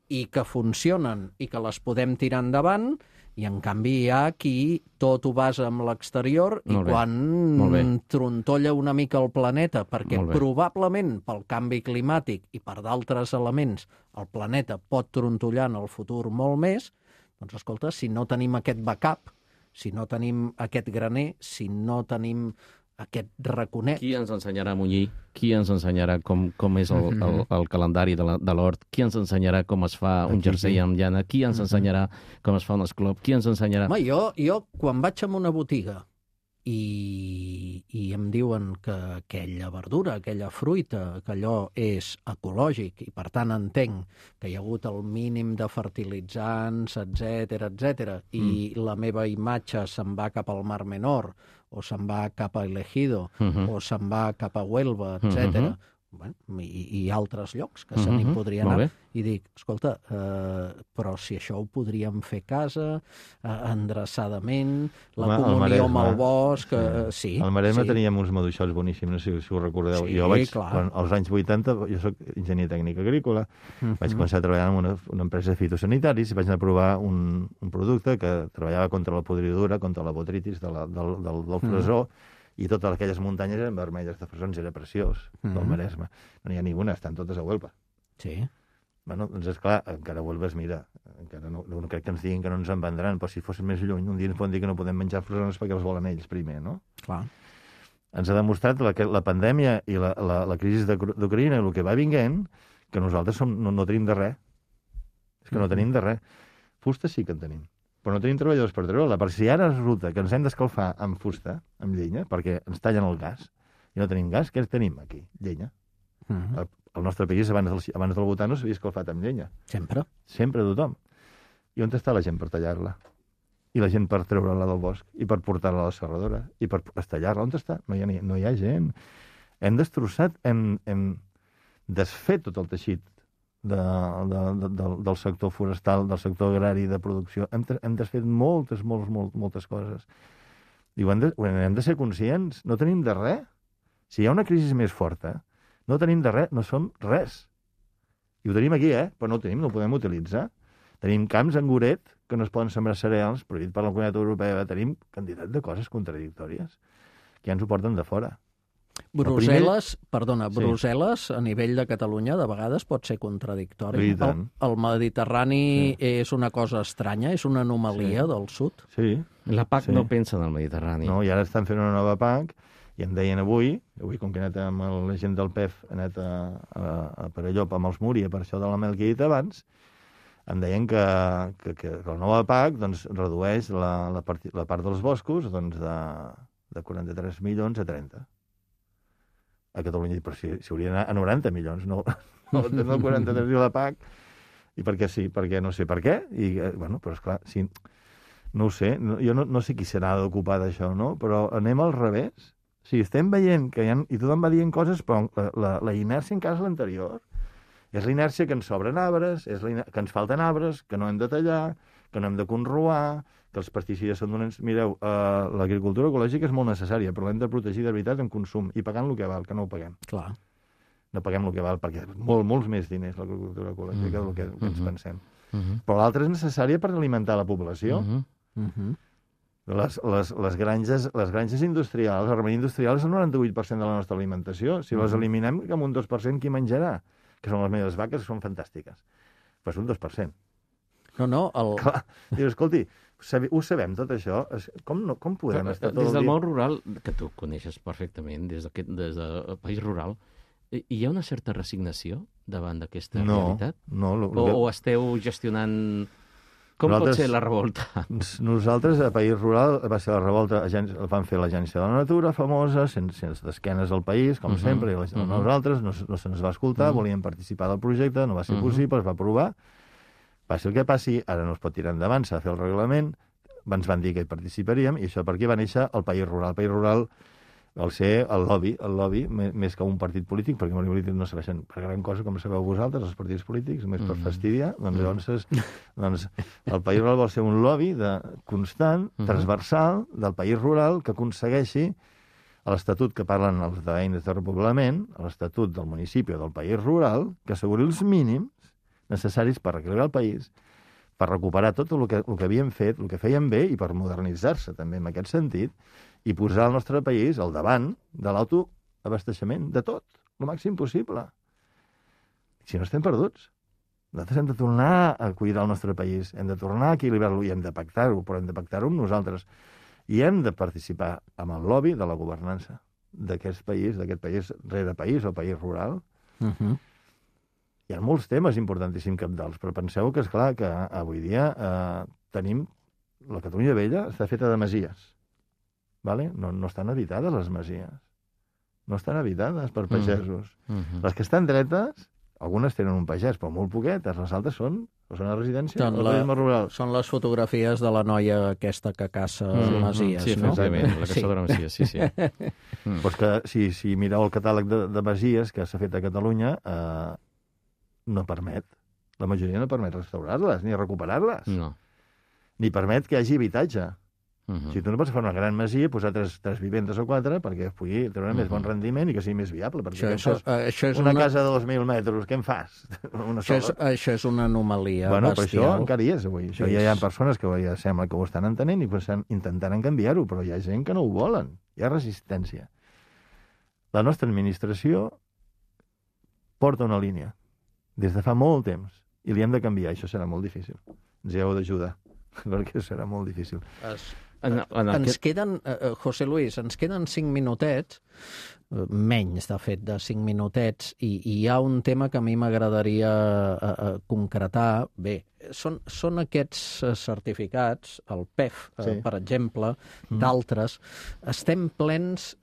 i que funcionen i que les podem tirar endavant, i en canvi hi ha qui tot ho basa amb l'exterior i quan trontolla una mica el planeta, perquè probablement pel canvi climàtic i per d'altres elements el planeta pot trontollar en el futur molt més, doncs escolta, si no tenim aquest backup, si no tenim aquest graner, si no tenim aquest raconet... Qui ens ensenyarà a munyir? Qui ens ensenyarà com és el calendari de l'hort? Qui ens ensenyarà com es fa un jersei amb llana? Qui ens ensenyarà com es fa un esclop? Qui ens ensenyarà... Jo, quan vaig a una botiga i em diuen que aquella verdura, aquella fruita, que allò és ecològic i per tant entenc que hi ha hagut el mínim de fertilitzants, etc, i la meva imatge se'n va cap al Mar Menor o se'n va cap a El Ejido o se'n va cap a Huelva, etc. I altres llocs que se n'hi podria anar. I dic, escolta, però si això ho podríem fer a casa, endreçadament, la comunió amb el bosc... Sí. Al Maresme teníem uns maduixots boníssims, no sé si us recordeu. Jo vaig, als anys 80, jo soc enginyer tècnic agrícola, vaig començar a treballar en una empresa de fitosanitaris i vaig anar a provar un producte que treballava contra la podridura, contra la botritis del fresó, i totes aquelles muntanyes eren vermelles de fresons, era preciós, del Maresme. No n'hi ha ninguna, estan totes a Huelva. Sí. Bueno, doncs esclar, encara a Huelva es mira, encara no crec que ens diguin que no ens en vendran, però si fos més lluny, un dia ens poden dir que no podem menjar fresons perquè els volen ells primer, no? Clar. Ens ha demostrat la pandèmia i la crisi d'Ucraïna i el que va vinguent, que nosaltres no tenim de res. És que no tenim de res. Fusta sí que en tenim, però no tenim treballadors per treure-la. Per si ara resulta que ens hem d'escalfar amb fusta, amb llenya, perquè ens tallen el gas, i no tenim gas, què tenim aquí? Llenya. El nostre país, abans del votar, no s'havia escalfat amb llenya. Sempre. Sempre tothom. I on està la gent per tallar-la? I la gent per treure-la del bosc? I per portar-la a la serradora? I per estallar-la? On està? No hi ha gent. Hem destrossat, hem desfet tot el teixit del sector forestal, del sector agrari, de producció. Hem desfet moltes coses. I hem de ser conscients. No tenim de res. Si hi ha una crisi més forta, no tenim de res, no som res. I ho tenim aquí, però no ho tenim, no ho podem utilitzar. Tenim camps en Goret que no es poden sembrar cereals, prohibit per la Comunitat Europea. Tenim quantitat de coses contradictòries que ja ens ho porten de fora. Brussel·les, a nivell de Catalunya, de vegades pot ser contradictori. El Mediterrani és una cosa estranya, és una anomalia del sud. Sí. La PAC no pensa en el Mediterrani. No, i ara estan fent una nova PAC, i em deien avui com que he anat amb la gent del PEF, he anat a Perelló amb els Múria, per això de la mel que he dit abans, em deien que la nova PAC redueix la part dels boscos de 43 milions a 30. A Catalunya, però si hauria d'anar a 90 milions, no 43 de la PAC, i perquè sí, perquè no sé per què, però esclar, sí, no ho sé, jo no sé qui serà d'ocupar d'això, no? Però anem al revés. Sí, estem veient que i tothom va dient coses, però la inèrcia encara és l'anterior. És la inèrcia que ens sobren arbres, que ens falten arbres, que no hem de tallar, que no hem de conroar, que els pesticides són donants... Mireu, l'agricultura ecològica és molt necessària, però l'hem de protegir de veritat en consum i pagant el que val, que no ho paguem. Clar. No paguem el que val, perquè és molts més diners l'agricultura ecològica del que ens pensem. Però l'altra és necessària per alimentar la població. Les granges industrials, el remei industrial és el 98% de la nostra alimentació. Si les eliminem, que amb un 2% qui menjarà? Que són les meves vaques, que són fantàstiques. Però és un 2%. Clar, dius, escolti, ho sabem tot això? Com podem estar tot el dia? Des del món rural, que tu coneixes perfectament, des del país rural, hi ha una certa resignació davant d'aquesta realitat? No. O esteu gestionant... Com pot ser la revolta? Nosaltres, a País Rural, va ser la revolta, van fer l'Agència de la Natura, famosa, sense d'esquenes al país, com sempre, i nosaltres no se'ns va escoltar, volíem participar del projecte, no va ser possible, es va aprovar. Passi el que passi, ara no es pot tirar endavant, s'ha de fer el reglament, ens van dir que hi participaríem, i això per què va néixer el País Rural. El País Rural al ser el lobby, més que un partit polític, perquè els polítics no serveixen per gran cosa, com sabeu vosaltres, els partits polítics, només per fastidiar, doncs el País Rural vol ser un lobby constant, transversal, del País Rural, que aconsegueixi a l'Estatut que parlen els d'eines de repoblament, a l'Estatut del municipi o del País Rural, que asseguri els mínims necessaris per reequilibrar el país, per recuperar tot el que havíem fet, el que fèiem bé, i per modernitzar-se també en aquest sentit, i posar el nostre país al davant de l'autoabasteixement de tot, el màxim possible. Si no estem perduts. Nosaltres hem de tornar a cuidar el nostre país, hem de tornar a equilibrar-lo i hem de pactar-ho, però hem de pactar-ho amb nosaltres. I hem de participar amb el lobby de la governança d'aquest país rere país o país rural. Hi ha molts temes importantíssims cabdals, però penseu que, esclar, que avui dia tenim... La Catalunya vella està feta de masies. vale? No estan habitades les masies. No estan habitades per pagesos. Les que estan dretes, algunes tenen un pagès, però molt poquetes. Les altres són a residència o turisme rural. Són les fotografies de la noia aquesta que caça masies, sí, no? efectivament, la caçadora masies, sí. Pues que si mireu el catàleg de masies que s'ha fet a Catalunya, no permet. La majoria no permet restaurar-les ni recuperar-les. No. Ni permet que hi hagi habitatge. Si tu no pots fer una gran masia i posar tres vivendes o quatre perquè pugui treure més bon rendiment i que sigui més viable. Perquè això és una casa de 2.000 metres, què en fas? Això és una anomalia bestial. Però això encara hi és avui. Això ja hi ha persones que ja sembla que ho estan entenent i intentaran canviar-ho, però hi ha gent que no ho volen. Hi ha resistència. La nostra administració porta una línia des de fa molt temps i li hem de canviar. Això serà molt difícil. Ens hi heu d'ajudar, perquè serà molt difícil. Ens queden, José Luis, ens queden 5 minutets, menys, de fet, de 5 minutets, i hi ha un tema que a mi m'agradaria concretar. Bé, són aquests certificats, el PEF, per exemple, d'altres, estem plens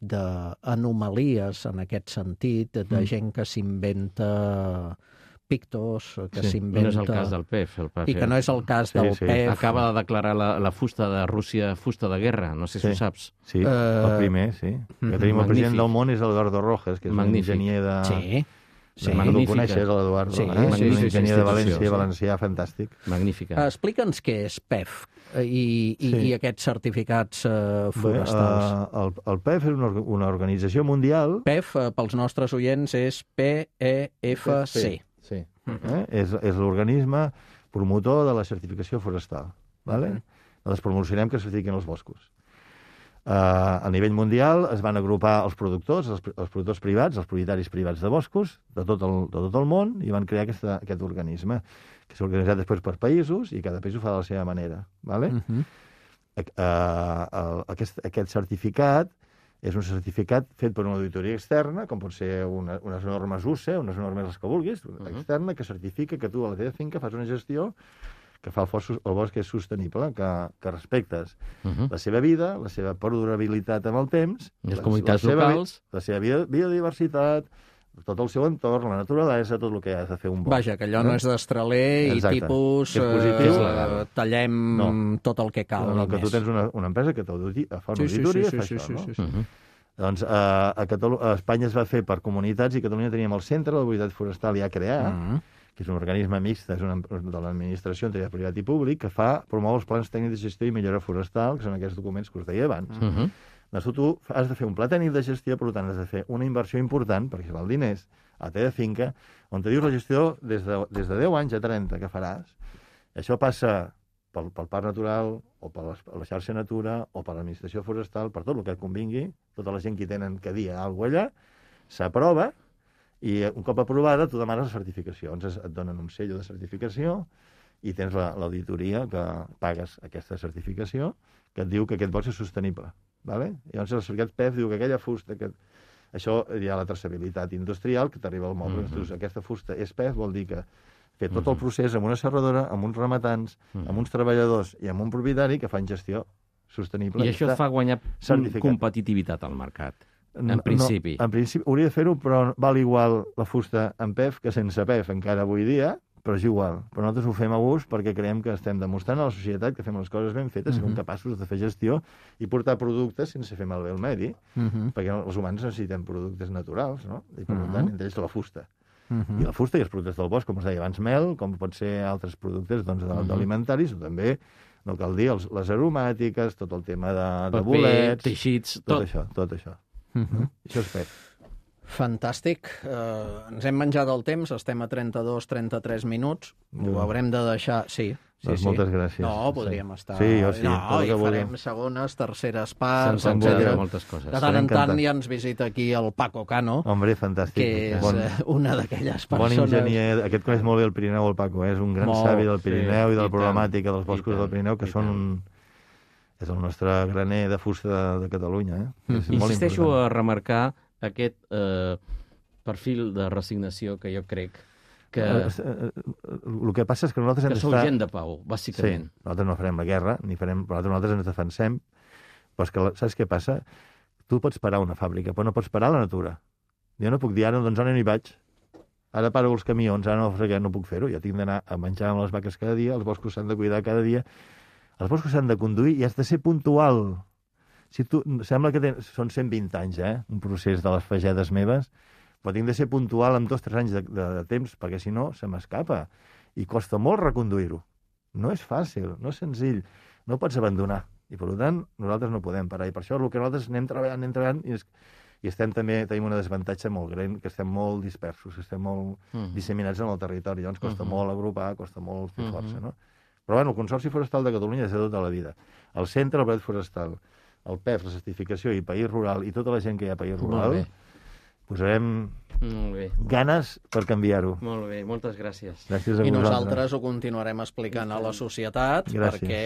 d'anomalies en aquest sentit, de gent que s'inventa pictos, que s'inventa... No és el cas del PEF. I que no és el cas del PEF. Acaba de declarar la fusta de Rússia fusta de guerra, no sé si ho saps. Sí, el primer, sí. Que tenim el president del món és l'Eduardo Rojas, que és un enginyer de... Sí, tu coneixes l'Eduardo, un enginyer de València, valencià, fantàstic. Magnífica. Explica'ns què és PEF i aquests certificats forestals. El PEF és una organització mundial... PEF, pels nostres oients, és PEFC. Sí. És l'organisme promotor de la certificació forestal. Les promocionem que certifiquen els boscos. A nivell mundial es van agrupar els productors privats, els propietaris privats de boscos de tot el món, i van crear aquest organisme, que s'ha organitzat després per països, i cada país ho fa de la seva manera. Aquest certificat és un certificat fet per una auditoria externa, com pot ser unes normes UCE, unes normes les que vulguis, externa, que certifica que tu a la teva finca fas una gestió que fa el bosc és sostenible, que respectes la seva vida, la seva perdurabilitat amb el temps, les comunitats locals, la seva biodiversitat, tot el seu entorn, la naturalesa, tot el que has de fer un bosc. Vaja, que allò no és d'estraler i tipus tallem tot el que cal. No, que tu tens una empresa que fa una auditoria i fa això, no? Doncs a Espanya es va fer per comunitats i a Catalunya teníem el Centre de Mobilitat Forestal ja creat, que és un organisme mixt de l'administració entre privat i públic, que promou els plans tècnics de gestió i millora forestal, que són aquests documents que us deia abans. Tu has de fer un pla tècnic de gestió, per tant has de fer una inversió important, perquè val diners, a la teva finca, on te dius la gestió des de 10 anys a 30 que faràs. Això passa pel Parc Natural, o per la xarxa Natura, o per l'administració forestal, per tot el que et convingui, tota la gent que tenen que dir alguna cosa allà, s'aprova, i un cop aprovada tu demanes la certificació. Llavors et donen un sello de certificació i tens l'auditoria que pagues aquesta certificació que et diu que aquest bosc és sostenible. Llavors el certificat PEF diu que aquella fusta... Això hi ha la traçabilitat industrial, que t'arriba al moble. Aquesta fusta és PEF, vol dir que fer tot el procés amb una serradora, amb uns rematants, amb uns treballadors i amb un propietari que fan gestió sostenible. I això et fa guanyar competitivitat al mercat, en principi. En principi hauria de fer-ho, però val igual la fusta amb PEF que sense PEF encara avui dia, però és igual. Però nosaltres ho fem a gust perquè creiem que estem demostrant a la societat que fem les coses ben fetes, som capaços de fer gestió i portar productes sense fer malbé el medi, perquè els humans necessitem productes naturals, no? I per tant, entre ells la fusta. I la fusta i els productes del bosc, com us deia abans, mel, com pot ser altres productes alimentaris, o també, no cal dir, les aromàtiques, tot el tema de bolets... teixits, tot això. Això és PEF. Fantàstic. Ens hem menjat el temps, estem a 32-33 minuts. Ho haurem de deixar... Sí. Moltes gràcies. No, podríem estar... Sí, jo sí. No, i farem segones, terceres parts, etc. Moltes coses. De tant en tant ja ens visita aquí el Paco Cano. Hombre, fantàstic. Que és una d'aquelles persones... Bon enginyer. Aquest coneix molt bé el Pirineu, el Paco. És un gran savi del Pirineu i de la problemàtica dels boscos del Pirineu, que són un... És el nostre graner de fusta de Catalunya. Insisteixo a remarcar aquest perfil de resignació que jo crec que... El que passa és que nosaltres que sou gent de pau, bàsicament. Sí, nosaltres no farem la guerra, però nosaltres ens defensem Però és que, saps què passa? Tu pots parar una fàbrica, però no pots parar la natura. Jo no puc dir, ara, doncs ara no hi vaig. Ara paro els camions, ara no puc fer-ho. Jo tinc d'anar a menjar amb les vaques cada dia, els boscos s'han de cuidar cada dia, els boscos s'han de conduir i has de ser puntual. Si tu, sembla que són 120 anys, un procés de les fagedes meves, però tinc de ser puntual amb 2 o 3 anys de temps, perquè si no se m'escapa. I costa molt reconduir-ho. No és fàcil, no és senzill. No pots abandonar. I, per tant, nosaltres no podem parar. I per això el que nosaltres anem treballant, i tenim una desavantatge molt gran, que estem molt dispersos, estem molt disseminats en el territori. Llavors costa molt agrupar, costa molt fer força, no? Però, bueno, el Consorci Forestal de Catalunya és de tota la vida. El Centre, el Bret Forestal, el PEF, la certificació i País Rural, i tota la gent que hi ha a País Rural, posarem ganes per canviar-ho. Molt bé, moltes gràcies. Gràcies a vosaltres. I nosaltres ho continuarem explicant a la societat, perquè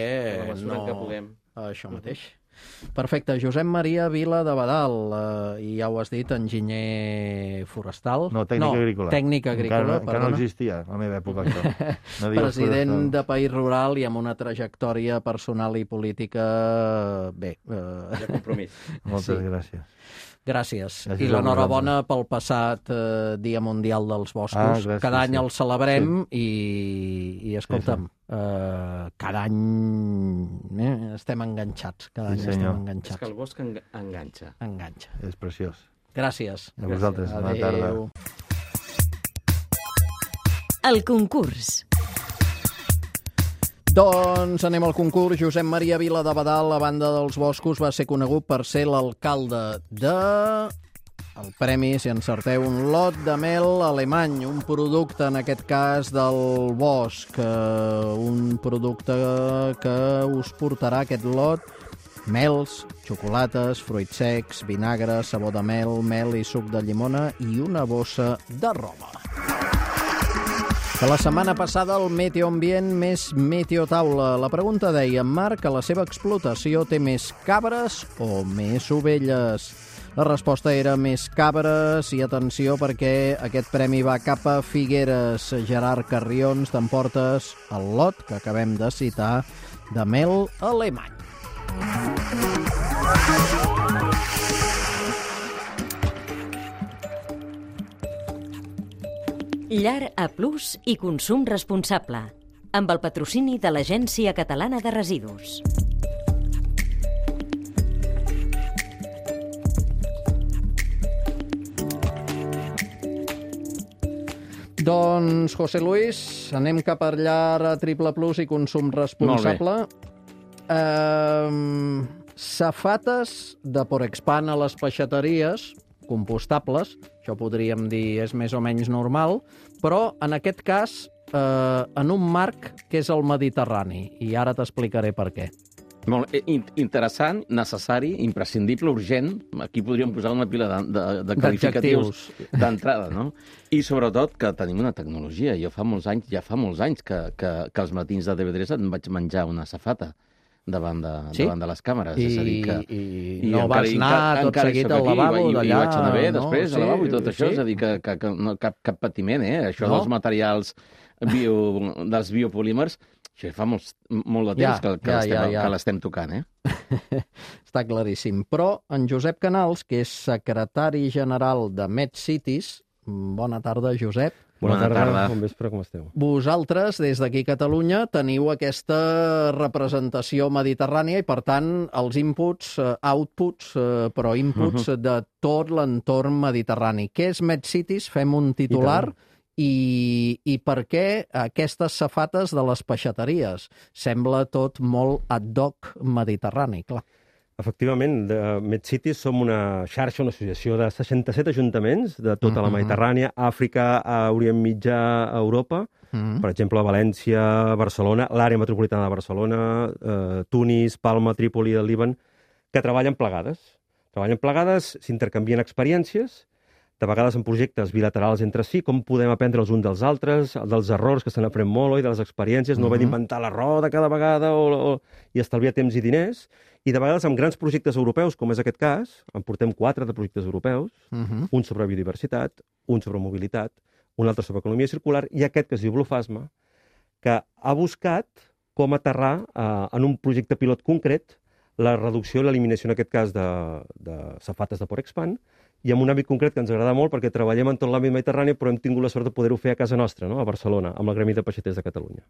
que puguem. Això mateix. Perfecte. Josep Maria Vila de Badal, i ja ho has dit, enginyer forestal. No, tècnic agrícola. Tècnic agrícola, encara no existia, a la meva època, això. No president de País Rural i amb una trajectòria personal i política, bé. De compromís. Moltes gràcies. Gràcies. I l'enhorabona pel passat Dia Mundial dels Boscos. Cada any el celebrem i escolta'm, cada any estem enganxats. Cada any estem enganxats. És que el bosc enganxa. Enganxa. És preciós. Gràcies. A vosaltres. Bona tarda. El concurs. Doncs anem al concurs. Josep Maria Vila de Badal, a banda dels boscos, va ser conegut per ser l'alcalde de... El premi, si encerteu, un lot de mel alemany, un producte, en aquest cas, del bosc. Un producte que us portarà aquest lot: mels, xocolates, fruits secs, vinagre, sabó de mel i suc de llimona i una bossa de roba. Que la setmana passada el Meteoambient més Meteotaula. La pregunta deia: Marc, a la seva explotació té més cabres o més ovelles? La resposta era més cabres, i atenció, perquè aquest premi va cap a Figueres. Gerard Carrions, t'emportes el lot que acabem de citar de mel alemany. Llar A+ i consum responsable, amb el patrocini de l'Agència Catalana de Residus. Doncs, José Luis, anem cap a Llar A+ i consum responsable. Safates de Porexpan a les peixateries, compostables, això podríem dir és més o menys normal, però en aquest cas en un marc que és el Mediterrani, i ara t'explicaré per què. Molt interessant, necessari, imprescindible, urgent. Aquí podríem posar una pila de qualificatius d'entrada, no? I sobretot que tenim una tecnologia. Ja fa molts anys que als matins de TV3 em vaig menjar una safata davant de les càmeres. És a dir que... I no vas anar tot seguit al lavabo d'allà? I vaig anar bé després al lavabo i tot això. És a dir, que no, cap patiment, Això dels materials dels biopolímers, això fa molt de temps que l'estem tocant, Està claríssim. Però en Josep Canals, que és secretari general de MedCities, bona tarda, Josep. Bona tarda. Bon vespre, com esteu? Vosaltres, des d'aquí a Catalunya, teniu aquesta representació mediterrània i, per tant, els inputs, però inputs de tot l'entorn mediterrani. Què és MedCities? Fem un titular. I per què aquestes safates de les peixateries? Sembla tot molt ad hoc mediterrani, clar. Efectivament, de MedCities som una xarxa, una associació de 67 ajuntaments de tota la Mediterrània, Àfrica, Orient Mitjà, Europa, per exemple, València, Barcelona, l'àrea metropolitana de Barcelona, Tunis, Palma, Trípoli, el Líban, que treballen plegades. S'intercanvien experiències, de vegades en projectes bilaterals entre si, com podem aprendre els uns dels altres, dels errors que se n'aprèn molt, i de les experiències, no haver d'inventar la roda cada vegada i estalviar temps i diners, i de vegades amb grans projectes europeus, com és aquest cas, en portem 4 de projectes europeus, un sobre biodiversitat, un sobre mobilitat, un altre sobre economia circular, i aquest que es diu Bluphasma, que ha buscat com aterrar en un projecte pilot concret la reducció i l'eliminació, en aquest cas, de safates de Porexpan, i en un àmbit concret que ens agrada molt perquè treballem en tot l'àmbit mediterrani, però hem tingut la sort de poder-ho fer a casa nostra, no? A Barcelona, amb el Gremi de Peixaters de Catalunya.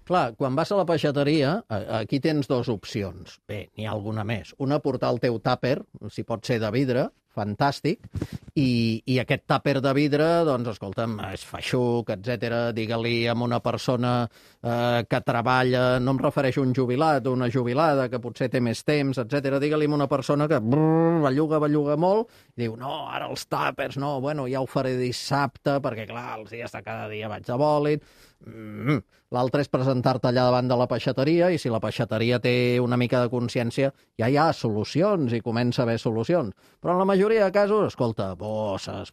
Clar, quan vas a la peixateria, aquí tens dues opcions. Bé, n'hi ha alguna més. Una, portar el teu tàper, si pot ser de vidre, fantàstic, i aquest tàper de vidre, doncs, escolta'm, és feixuc, etc. Digue-li a una persona que treballa, no em refereixo a un jubilat o una jubilada que potser té més temps, etc. Digue-li a una persona que belluga molt, i diu, no, ara els tàpers, no, bueno, ja ho faré dissabte, perquè, clar, els dies de cada dia vaig de bòlit. L'altre és presentar-te allà davant de la peixateria, i si la peixateria té una mica de consciència, ja hi ha solucions i comença a haver solucions. Però en la majoria de casos, escolta, bosses,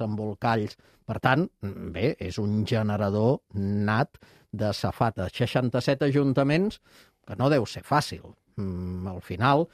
embolcalls. Per tant, bé, és un generador nat de safates. 67 ajuntaments, que no deu ser fàcil. Al final,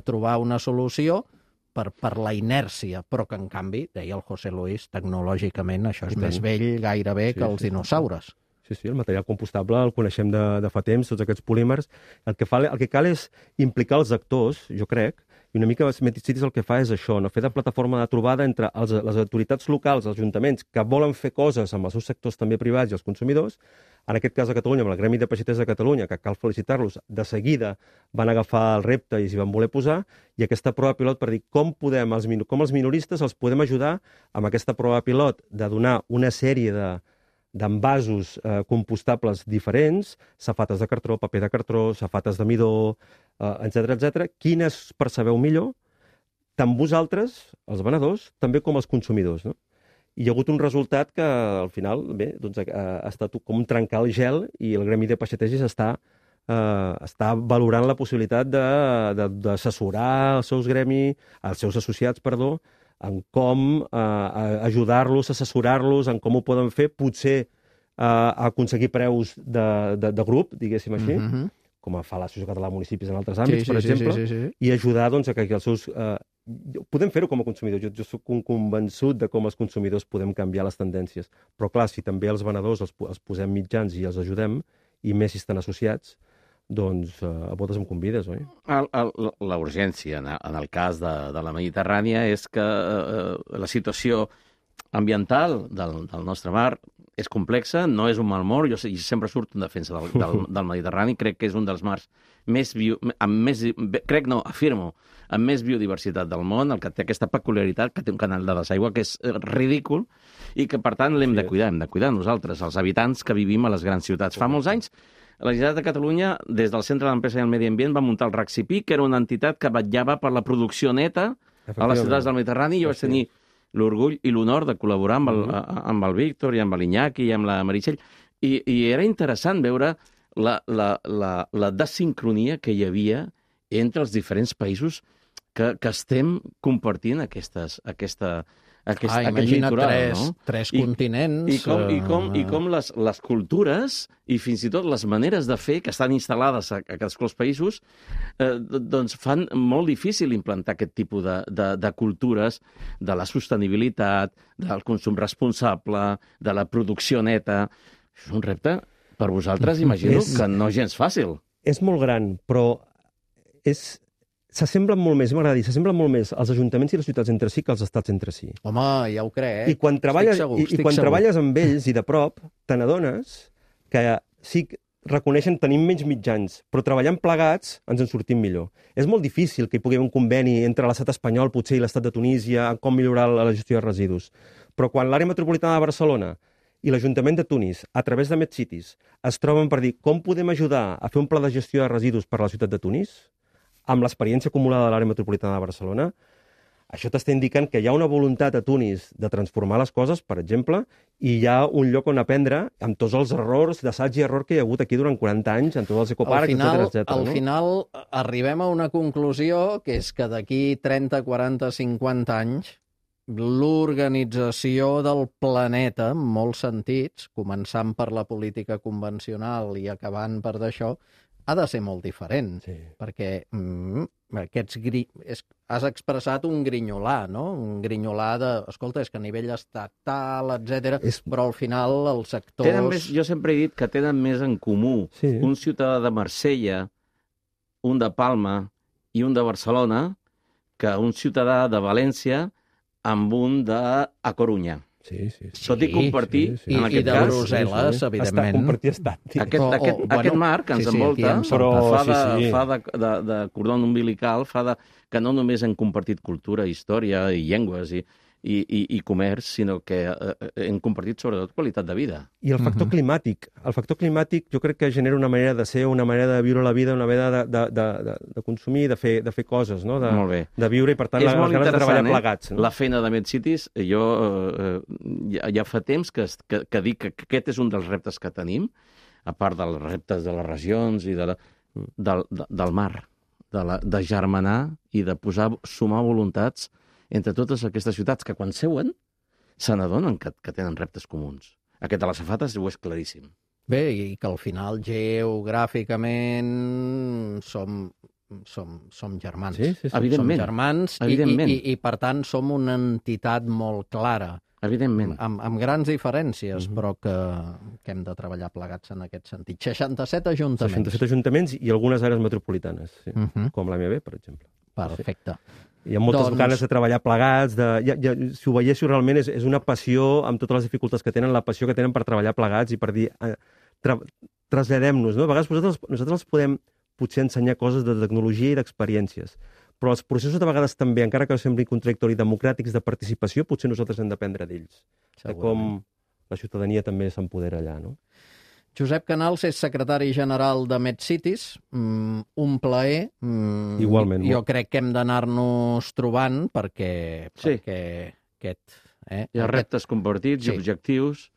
trobar una solució per la inèrcia, però que, en canvi, deia el José Luis, tecnològicament això és més vell gairebé que els dinosaures. Sí, el material compostable el coneixem de fa temps, tots aquests polímers. El que cal és implicar els actors, jo crec, i una mica MedCities el que fa és això, no? Fer de plataforma de trobada entre les autoritats locals, els ajuntaments, que volen fer coses amb els seus sectors també privats i els consumidors. En aquest cas a Catalunya, amb el Gremi de Peixaters de Catalunya, que cal felicitar-los, de seguida van agafar el repte i s'hi van voler posar, i aquesta prova pilot per dir com els minoristes els podem ajudar amb aquesta prova pilot de donar una sèrie d'envasos compostables diferents, safates de cartró, paper de cartró, safates de midó, etc. Quines percebeu millor, tant vosaltres, els venedors, també com els consumidors, no? I hi ha hagut un resultat que, al final, bé, doncs, ha estat com trencar el gel, i el Gremi de Peixaters està valorant la possibilitat d'assessorar els seus associats, en com ajudar-los, assessorar-los, en com ho poden fer, potser aconseguir preus de grup, diguéssim així, com fa l'Associació Catalana de Municipis en altres àmbits, per exemple, i ajudar doncs, a que els seus... Podem fer-ho com a consumidors. Jo soc convençut de com els consumidors podem canviar les tendències. Però, clar, si també els venedors els posem mitjans i els ajudem, i més si estan associats, doncs a votes em convides, oi? La urgència, en el cas de la Mediterrània, és que la situació ambiental del nostre mar és complexa, no és un mal mort. Jo sempre surto en defensa del Mediterrani. Crec que és un dels mars amb més biodiversitat del món, el que té aquesta peculiaritat, que té un canal de desaigua que és ridícul i que, per tant, l'hem de cuidar. Hem de cuidar nosaltres, els habitants que vivim a les grans ciutats. Fa molts anys, la Generalitat de Catalunya, des del Centre de l'Empresa i el Medi Ambient, va muntar el RACCIPI, que era una entitat que vetllava per la producció neta a les ciutats del Mediterrani, i jo vaig tenir l'orgull i l'honor de col·laborar amb el Víctor i amb l'Iñaki i amb la Meritxell, i era interessant veure la desincronia que hi havia entre els diferents països que estem compartint aquest litoral, no? Tres continents... I com les cultures i fins i tot les maneres de fer que estan instal·lades a cadascun dels països doncs fan molt difícil implantar aquest tipus de cultures, de la sostenibilitat, del consum responsable, de la producció neta. És un repte per vosaltres, imagino, que no és gens fàcil. És molt gran, però s'assemblen molt més, m'agrada dir, s'assemblen molt més els ajuntaments i les ciutats entre si que els estats entre si. Home, ja ho crec. I quan treballes amb ells i de prop, te n'adones que sí reconeixen tenim menys mitjans, però treballant plegats ens en sortim millor. És molt difícil que hi pugui haver un conveni entre l'estat espanyol, potser, i l'estat de Tunísia, en com millorar la gestió de residus. Però quan l'àrea metropolitana de Barcelona i l'Ajuntament de Tunis, a través de MedCities, es troben per dir com podem ajudar a fer un pla de gestió de residus per a la ciutat de Tunis, amb l'experiència acumulada de l'àrea metropolitana de Barcelona, això t'està indicant que hi ha una voluntat a Tunis de transformar les coses, per exemple, i hi ha un lloc on aprendre amb tots els errors d'assaig i error que hi ha hagut aquí durant 40 anys, en tots els ecoparcs, etc. Al final arribem a una conclusió, que és que d'aquí 30, 40, 50 anys l'organització del planeta, en molts sentits, començant per la política convencional i acabant per d'això, ha de ser molt diferent, perquè has expressat un grinyolà, no? Un grinyolà de, escolta, és que a nivell estatal, etc. Però al final els sectors... Jo sempre he dit que tenen més en comú un ciutadà de Marsella un de Palma i un de Barcelona que un ciutadà de València amb un de A Corunya. Sí. Tot i compartir, en aquest I de cas... Brussel·les, evidentment. Compartir estat. Aquest mar que ens envolta fa de cordó umbilical, que no només hem compartit cultura, història i llengües i comerç, sinó que hem compartit sobretot qualitat de vida. I el factor climàtic. El factor climàtic jo crec que genera una manera de ser, una manera de viure la vida, una manera de consumir, de fer coses, no? Molt bé. De viure, i per tant les ganes de treballar plegats. La feina de MedCities, jo ja fa temps que dic que aquest és un dels reptes que tenim, a part dels reptes de les regions i del mar, de germanar i de sumar voluntats entre totes aquestes ciutats que quan seuen se n'adonen que tenen reptes comuns. Aquest de les safates ho és claríssim. Bé, i que al final geogràficament som germans. Sí. Evidentment. Som germans i per tant som una entitat molt clara. Evidentment. Amb grans diferències, però que hem de treballar plegats en aquest sentit. 67 ajuntaments. 67 ajuntaments i algunes àrees metropolitanes, sí. Com l'AMB, per exemple. Perfecte. Hi ha moltes ganes de treballar plegats, si ho veiéssiu realment és una passió, amb totes les dificultats que tenen, la passió que tenen per treballar plegats i per dir, traslladem-nos, no? A vegades nosaltres podem potser ensenyar coses de tecnologia i d'experiències, però els processos de vegades també, encara que sembli contradictori, democràtics de participació, potser nosaltres hem d'aprendre d'ells. De com la ciutadania també s'empodera allà, no? Josep Canals és secretari general de MedCities. Un plaer. Igualment. Jo crec que hem d'anar-nos trobant perquè aquest... Hi ha reptes compartits i objectius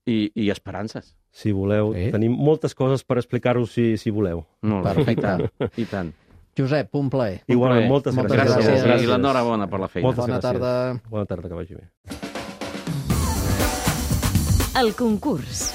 i esperances. Si voleu. Tenim moltes coses per explicar-vos si voleu. Molt bé. Perfecte. I tant. Josep, un plaer. Igualment, moltes gràcies. I l'enhorabona per la feina. Bona tarda. Bona tarda, que vagi bé. El concurs.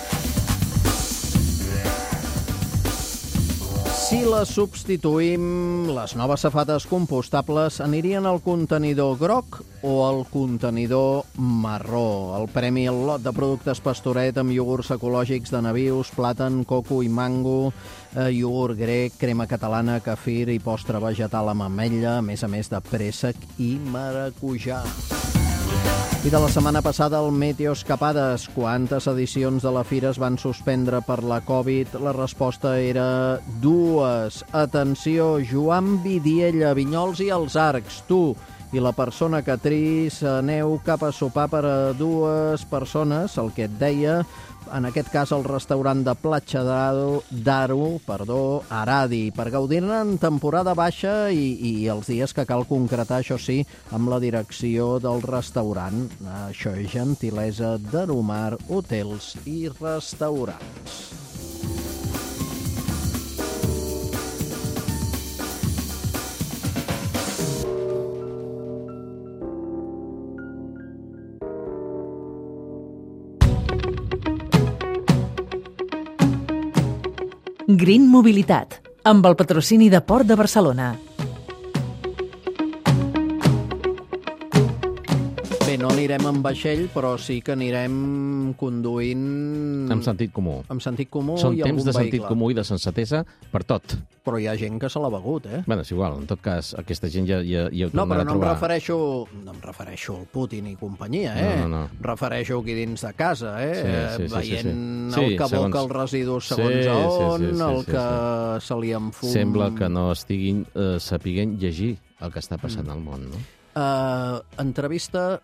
Si les substituïm, les noves safates compostables anirien al contenidor groc o al contenidor marró. El premi al lot de productes Pastoret amb iogurts ecològics de nabius, plàtan, coco i mango, iogurt grec, crema catalana, kefir i postre vegetal amb ametlla, a més de préssec i maracujà. I de la setmana passada, el Meteo Escapades. Quantes edicions de la fira es van suspendre per la Covid? La resposta era 2. Atenció, Joan Vidiella, Vinyols i els Arcs. Tu i la persona que tris aneu cap a sopar per a 2 persones, el que et deia, en aquest cas el restaurant de Platja d'Aro, Aradi, per gaudir-ne en temporada baixa i els dies que cal concretar, això sí, amb la direcció del restaurant. Això és gentilesa d'Aromar Hotels i Restaurants. Green Mobilitat, amb el patrocini de Port de Barcelona. Bé, no anirem en vaixell, però sí que anirem conduint... Amb sentit comú. Amb sentit comú Són i algun temps de sentit vehicle. comú i de sensatesa per tot. Però hi ha gent que se l'ha begut, Bueno, és igual, en tot cas, aquesta gent ja ho no, però tornarà a trobar. No em refereixo al Putin i companyia, No. Refereixo aquí dins de casa, Sí, veient el que aboca els residus segons on, el que se li enfum... Sembla que no estiguin sapiguent llegir el que està passant al món, no? Enquesta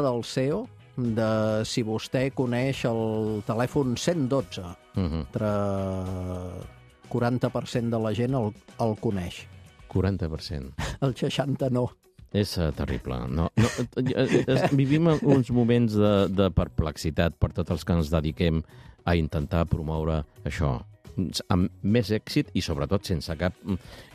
del CEO de si vostè coneix el telèfon 112. Entre 40% de la gent el coneix. 40%. El 60% no. És terrible. Vivim uns moments de perplexitat per tots els que ens dediquem a intentar promoure això amb més èxit i sobretot sense cap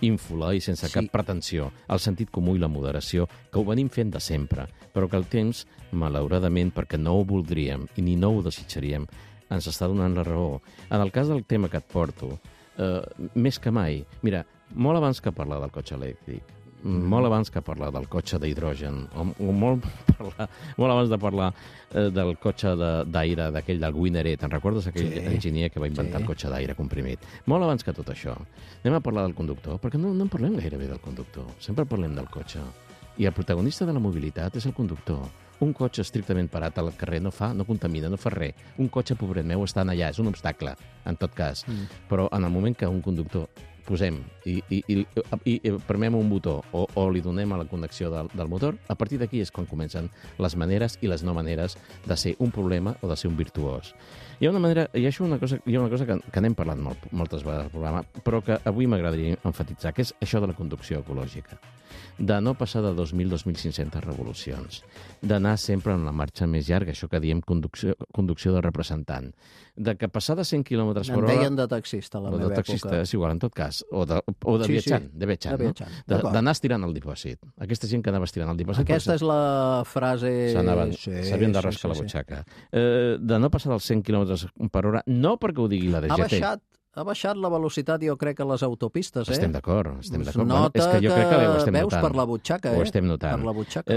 ínfula i sense cap pretensió. El sentit comú i la moderació, que ho venim fent de sempre, però que el temps, malauradament, perquè no ho voldríem i ni no ho desitjaríem, ens està donant la raó. En el cas del tema que et porto, més que mai, mira, molt abans que parlar del cotxe elèctric, molt abans que parlar del cotxe d'hidrogen, o molt abans de parlar del cotxe d'aire, d'aquell del Winner, te'n recordes aquell enginyer que va inventar el cotxe d'aire comprimit? Molt abans que tot això. Anem a parlar del conductor, perquè no en parlem gairebé del conductor, sempre parlem del cotxe. I el protagonista de la mobilitat és el conductor. Un cotxe estrictament parat al carrer no contamina, no fa res. Un cotxe, pobret meu, està allà, és un obstacle, en tot cas. Però en el moment que un conductor posem i premem un botó o li donem a la connexió del motor, a partir d'aquí és quan comencen les maneres i les no maneres de ser un problema o de ser un virtuós. Hi ha una cosa que n'hem parlat moltes vegades al programa, però que avui m'agradaria enfatitzar, que és això de la conducció ecològica. De no passar de 2.000-2.500 revolucions, d'anar sempre en la marxa més llarga, això que diem conducció de representant, de que passar de 100 km per hora... En deien de taxista a la meva època. De taxista, és igual, en tot cas. O de viatjant, d'anar estirant el dipòsit. Aquesta gent que anava estirant el dipòsit... Aquesta és la frase... S'havien de rascar la butxaca. De no passar dels 100 km per hora, no perquè ho digui la DGT. Ha baixat la velocitat, jo crec, a les autopistes, Estem d'acord. Nota és que jo crec que veus per la butxaca, Ho estem notant. Per la butxaca.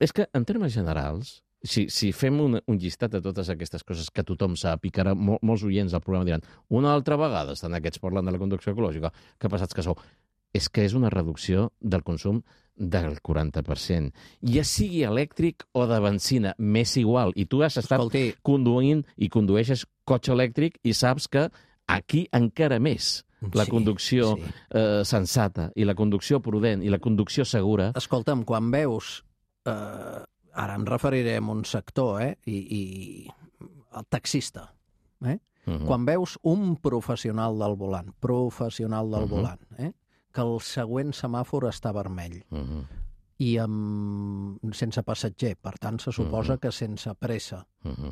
És que, en termes generals, si fem un llistat de totes aquestes coses que tothom sap i que ara molts oients del programa diran una altra vegada estan aquests parlant de la conducció ecològica, que passats que sou. És que és una reducció del consum del 40%. Ja sigui elèctric o de benzina, m'és igual. I tu has estat conduint i condueixes cotxe elèctric i saps que aquí encara més la conducció sensata i la conducció prudent i la conducció segura... Escolta'm, quan veus... ara em referiré a un sector, i el taxista, quan veus un professional del volant, que el següent semàfor està vermell, i sense passatger, per tant se suposa que sense pressa,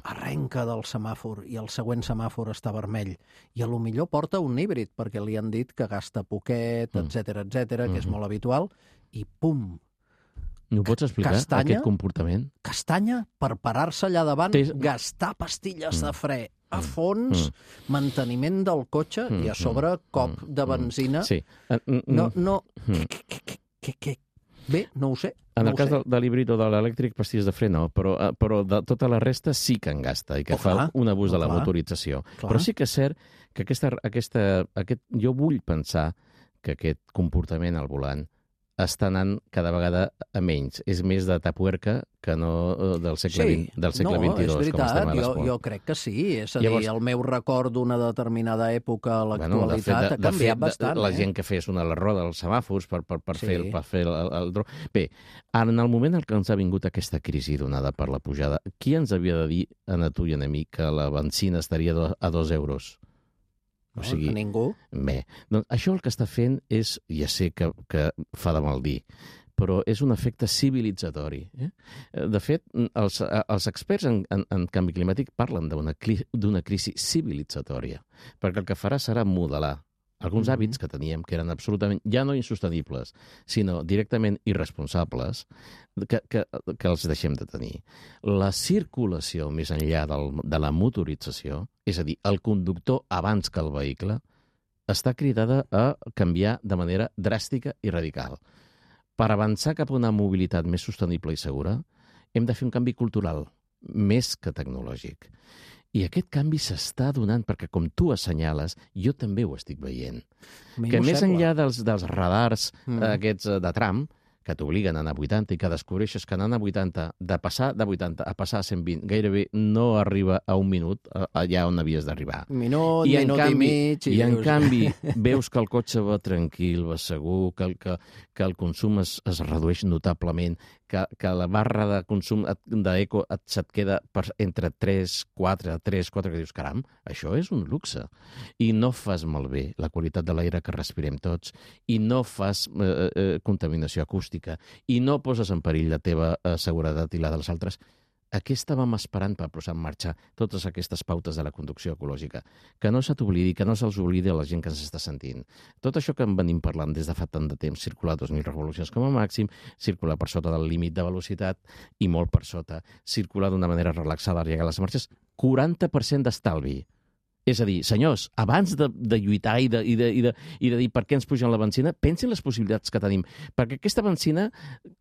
arrenca del semàfor i el següent semàfor està vermell, i a lo millor porta un híbrid, perquè li han dit que gasta poquet, etc, que és molt habitual, i pum! No pots explicar aquest comportament? Castanya per parar-se allà davant, gastar pastilles de fre a fons, manteniment del cotxe i a sobre cop de benzina. Sí. Bé, no ho sé. En el cas de l'híbrid o de l'elèctric, pastilles de fre no, però de tota la resta sí que en gasta i que fa un abús de la motorització. Però sí que és cert que jo vull pensar que aquest comportament al volant està anant cada vegada a menys. És més de tapuerca que no del segle XXII. No, és veritat, jo crec que sí. És a dir, el meu record d'una determinada època a l'actualitat ha canviat bastant. La gent que fes una a la roda dels semàfors per fer el dro... Bé, en el moment en què ens ha vingut aquesta crisi donada per la pujada, qui ens havia de dir a tu i a mi que la benzina estaria a 2 euros? O sigui, ningú. Bé, doncs això el que està fent és, ja sé que fa de mal dir, però és un efecte civilitzatori. De fet, els experts en canvi climàtic parlen d'una crisi civilitzatòria, perquè el que farà serà modelar alguns hàbits que teníem, que eren absolutament, ja no insostenibles, sinó directament irresponsables, que els deixem de tenir. La circulació més enllà de la motorització, és a dir, el conductor abans que el vehicle, està cridada a canviar de manera dràstica i radical. Per avançar cap a una mobilitat més sostenible i segura, hem de fer un canvi cultural, més que tecnològic. I aquest canvi s'està donant perquè, com tu assenyales, jo també ho estic veient. Que més enllà dels radars aquests de tram, que t'obliguen a anar a 80 i que descobreixes que anant a 80, de passar de 80 a passar a 120, gairebé no arriba a un minut allà on havies d'arribar. Minut i mig. I en canvi veus que el cotxe va tranquil, va segur, que el consum es redueix notablement, que la barra de consum d'eco se't queda entre 3, 4, que dius, caram, això és un luxe. I no fas malbé la qualitat de l'aire que respirem tots, i no fas contaminació acústica, i no poses en perill la teva seguretat i la dels altres. Aquí estàvem esperant per posar en marxa totes aquestes pautes de la conducció ecològica. Que no se t'oblidi, que no se'ls oblidi a la gent que ens està sentint. Tot això que en venim parlant des de fa tant de temps, circular 2.000 revolucions com a màxim, circular per sota del límit de velocitat i molt per sota, circular d'una manera relaxada al llegar a les marxes, 40% d'estalvi. És a dir, senyors, abans de lluitar i de dir per què ens pugen la benzina, pensin les possibilitats que tenim, perquè aquesta benzina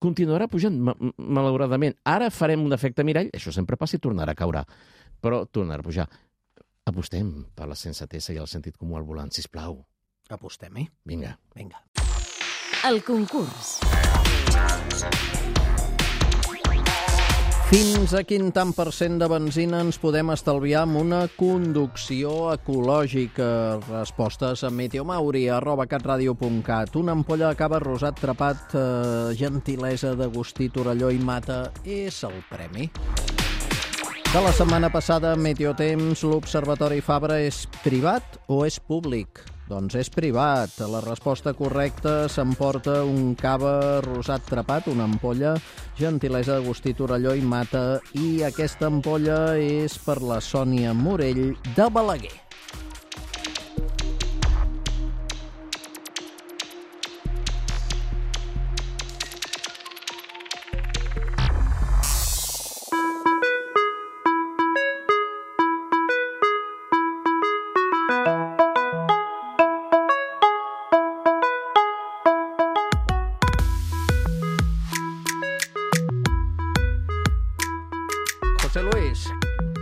continuarà pujant, malauradament. Ara farem un efecte mirall, això sempre passa i tornarà a caure, però tornarà a pujar. Apostem per la sensatesa i el sentit comú al volant, sisplau. Apostem-hi. Vinga. El concurs. Fins a quin tant % de benzina ens podem estalviar amb una conducció ecològica? Respostes a meteomauri@catradio.cat. Una ampolla de cava rosat trepat, gentilesa d'Agustí Torelló i Mata, és el premi. De la setmana passada, Meteotemps, l'Observatori Fabra és privat o és públic? Doncs és privat. La resposta correcta s'emporta un cava rosat trepat, una ampolla, gentilesa d'Agustí Torelló i Mata, i aquesta ampolla és per la Sònia Morell de Balaguer. José Luis,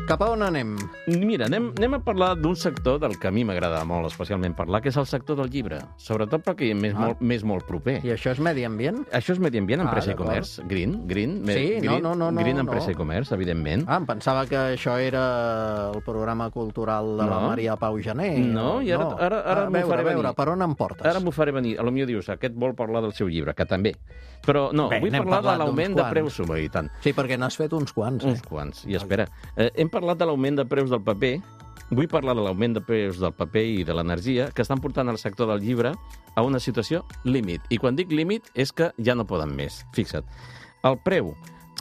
cap a on anem? Mira, anem a parlar d'un sector del que a mi m'agrada molt especialment parlar, que és el sector del llibre. Sobretot perquè m'és molt proper. I això és medi ambient? Això és medi ambient, empresa i comerç. Green. Green, empresa i comerç, evidentment. Em pensava que això era el programa cultural de la Maria Pau Jané. No, i ara m'ho faré venir. A veure, per on em portes? Ara m'ho faré venir. Potser dius, aquest vol parlar del seu llibre, que també. Però no, vull parlar de l'augment de preus. I tant. Sí, perquè n'has fet uns quants. Uns quants. I espera, hem parlat de l'augment de preus del paper. Vull parlar de l'augment de preus del paper i de l'energia que estan portant el sector del llibre a una situació límit. I quan dic límit és que ja no poden més. Fixa't, el preu...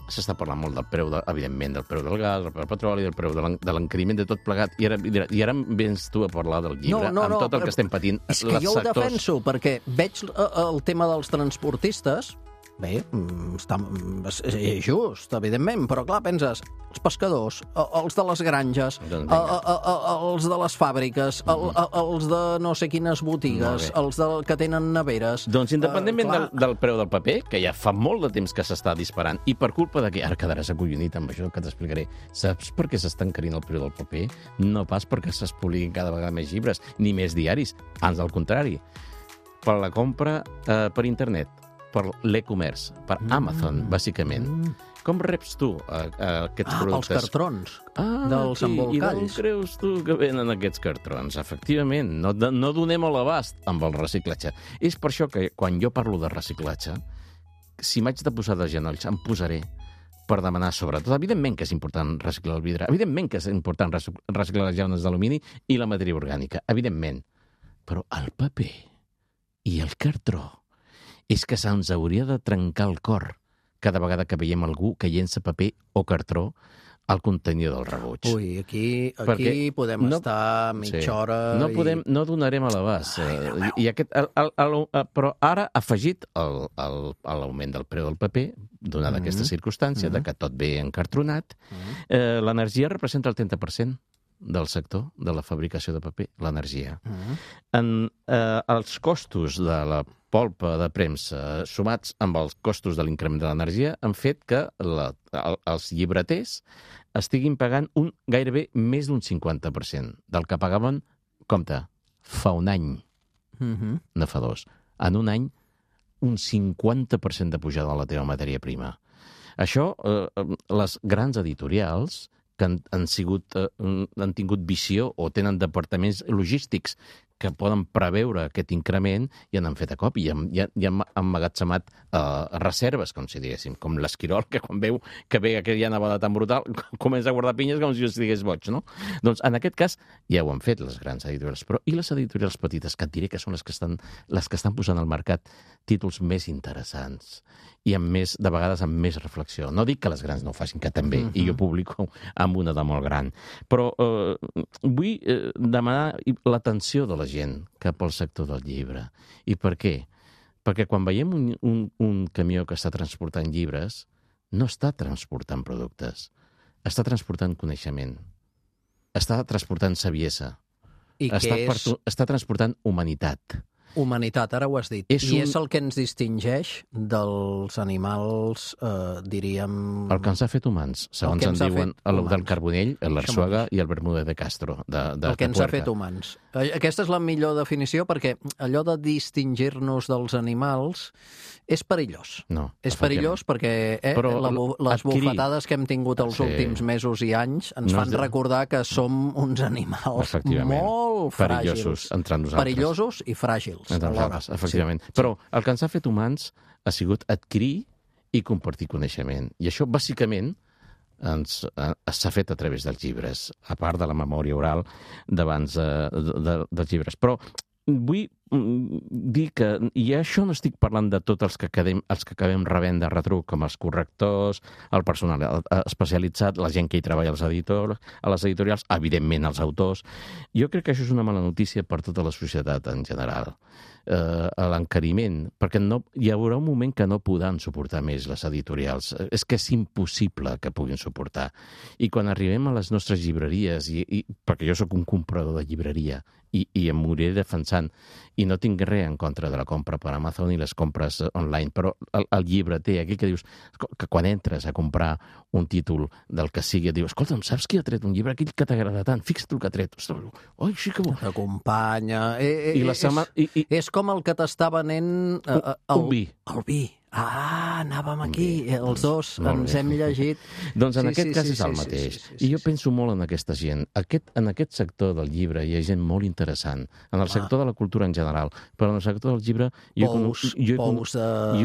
S'està parlant molt del preu, evidentment, del preu del gas, del preu del petroli, del preu de l'encariment de tot plegat, i ara vens tu a parlar del llibre, amb tot el que estem patint. És que jo ho defenso, perquè veig el tema dels transportistes. Bé, és just, evidentment, però clar, penses, els pescadors, els de les granges, els de les fàbriques, els de no sé quines botigues, els que tenen neveres... Doncs independentment del preu del paper, que ja fa molt de temps que s'està disparant, i per culpa de que ara quedaràs acollonit amb això que t'explicaré, saps per què s'està encarint el preu del paper? No pas perquè es publiquin cada vegada més llibres, ni més diaris, ans al contrari, per la compra per internet, per l'e-commerce, per Amazon, bàsicament. Com reps tu aquests productes? Els cartrons dels embolcalls. I d'on creus tu que venen aquests cartrons? Efectivament, no donem a l'abast amb el reciclatge. És per això que quan jo parlo de reciclatge, si m'haig de posar de genolls, em posaré per demanar sobretot. Evidentment que és important reciclar el vidre, evidentment que és important reciclar les llaunes d'alumini i la matèria orgànica, evidentment. Però el paper i el cartró és que se'ns hauria de trencar el cor cada vegada que veiem algú que llença paper o cartró al contenidor del rebuig. Ui, aquí podem estar mitja hora... No donarem a l'abast. Però ara ha afegit l'augment del preu del paper, donada aquesta circumstància de que tot ve encartronat, l'energia representa el 30% del sector de la fabricació de paper, l'energia. Els costos de la polpa de premsa sumats amb els costos de l'increment de l'energia han fet que els llibreters estiguin pagant gairebé més d'un 50% del que pagaven, compte, fa un any, no fa dos. En un any, un 50% de pujada de la teva matèria prima. Això, les grans editorials que han tingut visió o tenen departaments logístics que poden preveure aquest increment i han fet a cop i han emmagatzemat reserves, com si diguéssim, com l'esquirol, que quan veu que ve aquella nevada tan brutal comença a guardar pinyes com si estigués boig, no? Doncs en aquest cas ja ho han fet les grans editorials, però i les editorials petites, que et diré que són les que estan posant al mercat títols més interessants i de vegades amb més reflexió. No dic que les grans no ho facin, que també, i jo publico amb una de molt gran. Però vull demanar l'atenció de la gent cap al sector del llibre. I per què? Perquè quan veiem un camió que està transportant llibres, no està transportant productes, està transportant coneixement, està transportant saviesa, està transportant humanitat. Humanitat, ara ho has dit. I és el que ens distingeix dels animals, diríem... El que ens ha fet humans, segons en diuen el del Carbonell, l'Arsuaga i el Bermúdez de Castro. El que ens ha fet humans. Aquesta és la millor definició, perquè allò de distingir-nos dels animals és perillós. No, és perillós perquè les bufetades que hem tingut els últims mesos i anys ens fan recordar que som uns animals molt fràgils. Entre nosaltres. Perillosos i fràgils. Entre nosaltres, efectivament. Però el que ens ha fet humans ha sigut adquirir i compartir coneixement. I això, bàsicament, s'ha fet a través dels llibres, a part de la memòria oral d'abans dels llibres. Però vull dir que, i això no estic parlant de tots els que acabem rebent de retruc, com els correctors, el personal especialitzat, la gent que hi treballa a les editorials, evidentment els autors. Jo crec que això és una mala notícia per tota la societat en general. L'encariment, perquè hi haurà un moment que no podran suportar més les editorials. És que és impossible que puguin suportar. I quan arribem a les nostres llibreries, perquè jo sóc un comprador de llibreria, i em moriré defensant, i no tinc res en contra de la compra per Amazon i les compres online, però el llibreter, aquell que dius que quan entres a comprar un títol del que sigui, dius, escolta'm, saps qui ha tret un llibre? Aquell que t'agrada tant, fixa't el que ha tret. Oi, sí que bo. T'acompanya. És com el que t'està venent un vi. El vi. Anàvem aquí, els dos ens hem llegit. Doncs en aquest cas és el mateix. I jo penso molt en aquesta gent. En aquest sector del llibre hi ha gent molt interessant. En el sector de la cultura en general, però en el sector del llibre jo he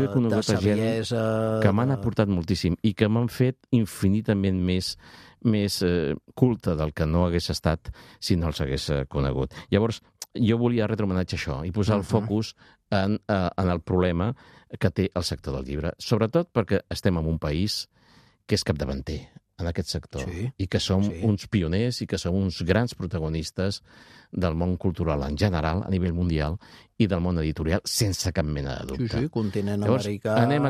conegut gent que m'han aportat moltíssim i que m'han fet infinitament més culte del que no hagués estat si no els hagués conegut. Llavors, jo volia retre homenatge a això i posar el focus en el problema que té el sector del llibre, sobretot perquè estem en un país que és capdavanter en aquest sector i que som uns pioners i que som uns grans protagonistes del món cultural en general, a nivell mundial, i del món editorial, sense cap mena de dubte. Sí, continent llavors, americà... Anem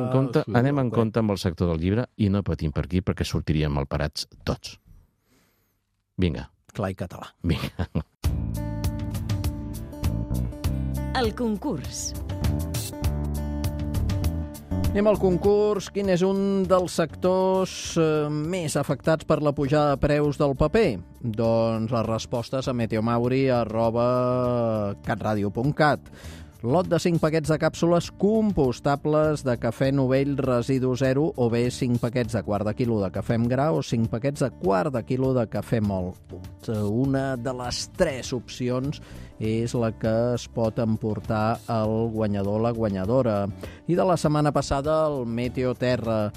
en compte amb el sector del llibre i no patim per aquí perquè sortiríem malparats tots. Vinga. Clar i català. Vinga. El concurs. Anem al concurs. Quin és un dels sectors més afectats per la pujada de preus del paper? Doncs les respostes a meteomauri@catradio.cat. Lot de 5 paquets de càpsules compostables de cafè novell residu zero o bé 5 paquets de quart de quilo de cafè amb gra o 5 paquets de quart de quilo de cafè mòlt. Una de les 3 opcions és la que es pot emportar el guanyador o la guanyadora. I de la setmana passada, el Meteo Terra.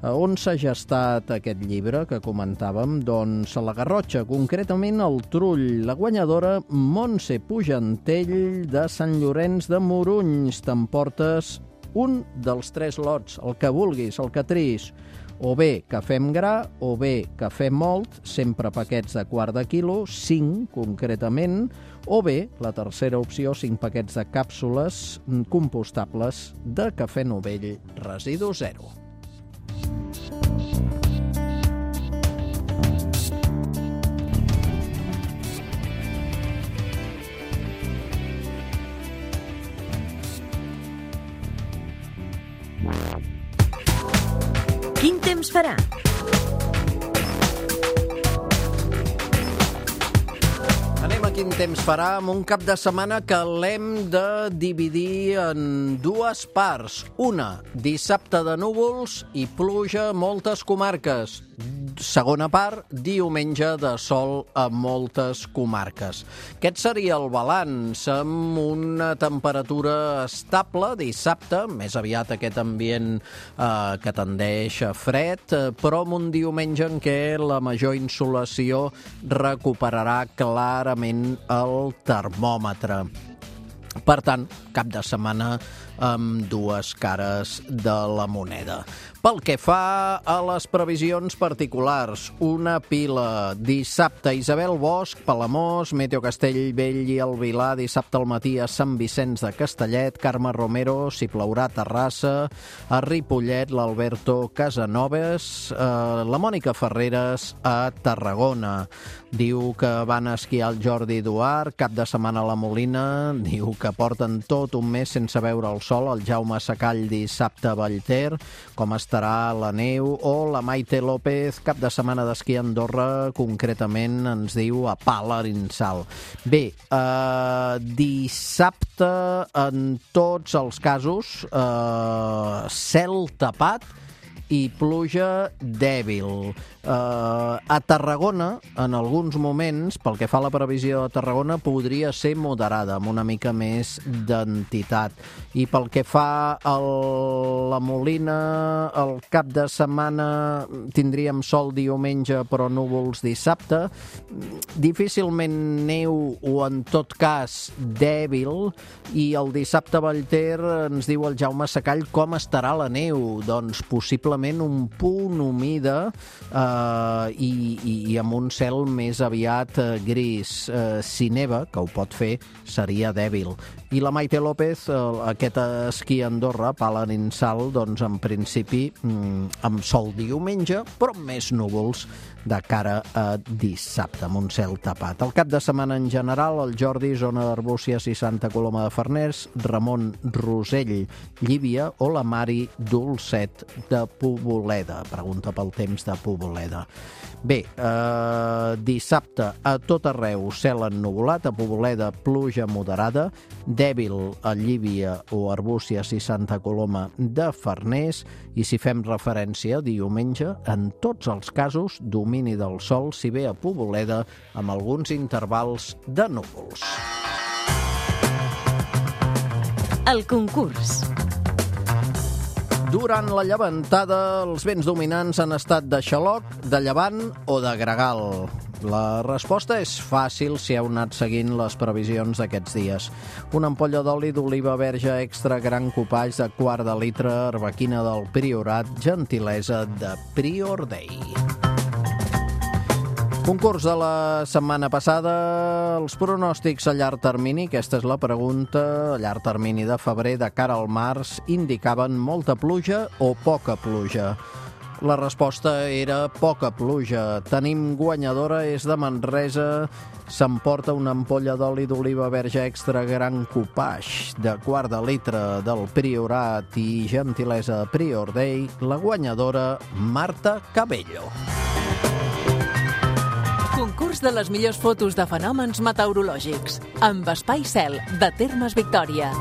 On s'ha gestat aquest llibre que comentàvem? Doncs a la Garrotxa, concretament al Trull. La guanyadora, Montse Pujantell, de Sant Llorenç de Morunys. T'emportes un dels 3 lots, el que vulguis, el que triïs. O bé cafè amb gra, o bé cafè mòlt, sempre paquets de quart de quilo, 5 concretament, o bé, la tercera opció, 5 paquets de càpsules compostables de cafè novell residu zero. Quin temps farà? Anem a quin temps farà amb un cap de setmana que l'hem de dividir en 2 parts. Una, dissabte de núvols i pluja a moltes comarques. Segona part, diumenge de sol a moltes comarques. Aquest seria el balanç, amb una temperatura estable dissabte, més aviat aquest ambient que tendeix a fred, però amb un diumenge en què la major insolació recuperarà clarament el termòmetre. Per tant, cap de setmana amb 2 cares de la moneda. Pel que fa a les previsions particulars, una pila. Dissabte, Isabel Bosch, Palamós, Meteo Castellbell i el Vilar. Dissabte al matí a Sant Vicenç de Castellet, Carme Romero, si plourà a Terrassa, a Ripollet, l'Alberto Casanovas, la Mònica Ferreres a Tarragona. Diu que van esquiar el Jordi Duart, cap de setmana a la Molina, diu que porten tot un mes sense veure el sol, el Jaume Sacall dissabte a Vallter, com estarà la neu, o la Maite López, cap de setmana d'esquí a Andorra, concretament ens diu a Palarinsal. Bé, dissabte en tots els casos, cel tapat i pluja dèbil. A Tarragona, en alguns moments, pel que fa a la previsió de Tarragona, podria ser moderada, amb una mica més d'entitat. I pel que fa a la Molina, el cap de setmana tindríem sol diumenge, però núvols dissabte. Difícilment neu o, en tot cas, dèbil. I el dissabte a Vallter ens diu el Jaume Sacall com estarà la neu. Doncs possiblement un punt humida i amb un cel més aviat gris. Si neva, que ho pot fer, seria dèbil. I la Maite López, aquest esquí a Andorra, Palarinsal, doncs en principi amb sol diumenge, però amb més núvols de cara a dissabte, amb un cel tapat. El cap de setmana en general, el Jordi, zona d'Arbúcies i Santa Coloma de Farners, Ramon Rosell, Llívia, o la Mari Dolcet de Poboleda. Pregunta pel temps de Poboleda. Bé, dissabte a tot arreu cel ennuvolat, a Poboleda pluja moderada, dèbil a Llívia o Arbúcies i Santa Coloma de Farners, i si fem referència a diumenge, en tots els casos, domini del sol, si bé a Poboleda, amb alguns intervals de núvols. El concurs. Durant la llevantada, els vents dominants han estat de xaloc, de llevant o de gregal. La resposta és fàcil si heu anat seguint les previsions d'aquests dies. Una ampolla d'oli d'oliva verge extra gran copatge de quart de litre, arbequina del Priorat, gentilesa de Prior Day. Concurs de la setmana passada, els pronòstics a llarg termini, aquesta és la pregunta, a llarg termini de febrer de cara al març, indicaven molta pluja o poca pluja. La resposta era poca pluja. Tenim guanyadora, és de Manresa, s'emporta una ampolla d'oli d'oliva verge extra gran copatge de quart de litre del Priorat i gentilesa de Prior Day, la guanyadora Marta Cabello. Concurs de les millors fotos de fenòmens meteorològics amb Espai Cel, de Termes Victòria.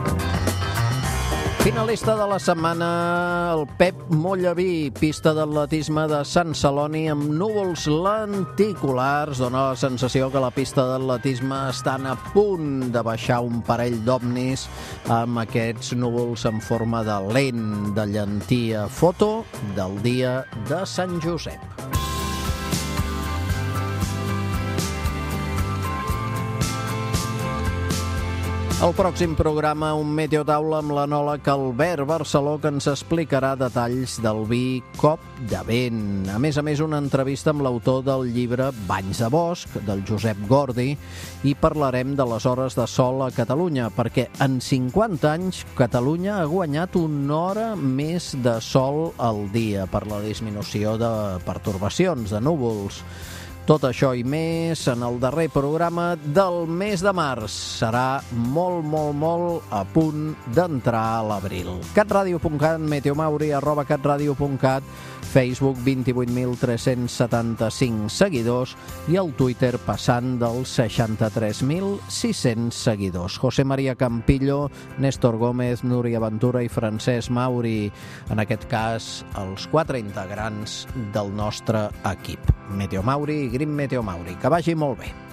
Finalista de la setmana, el Pep Mollaví, pista d'atletisme de Sant Celoni amb núvols lenticulars. Dóna la sensació que la pista d'atletisme estan a punt de baixar un parell d'ovnis amb aquests núvols en forma de lent de llentia. Foto del dia de Sant Josep. El pròxim programa, un meteotaula amb l'enòleg Albert Barceló, que ens explicarà detalls del vi Cop de Vent. A més, una entrevista amb l'autor del llibre Banys de Bosc, del Josep Gordi, i parlarem de les hores de sol a Catalunya, perquè en 50 anys Catalunya ha guanyat una hora més de sol al dia per la disminució de pertorbacions, de núvols. Tot això i més en el darrer programa del mes de març. Serà molt a punt d'entrar a l'abril. catradio.cat, meteomauri@catradio.cat, Facebook 28.375 seguidors i el Twitter passant dels 63.600 seguidors. José María Campillo, Néstor Gómez, Núria Ventura i Francesc Mauri, en aquest cas els 4 integrants del nostre equip. Meteo Mauri i Green Meteo Mauri. Que vagi molt bé.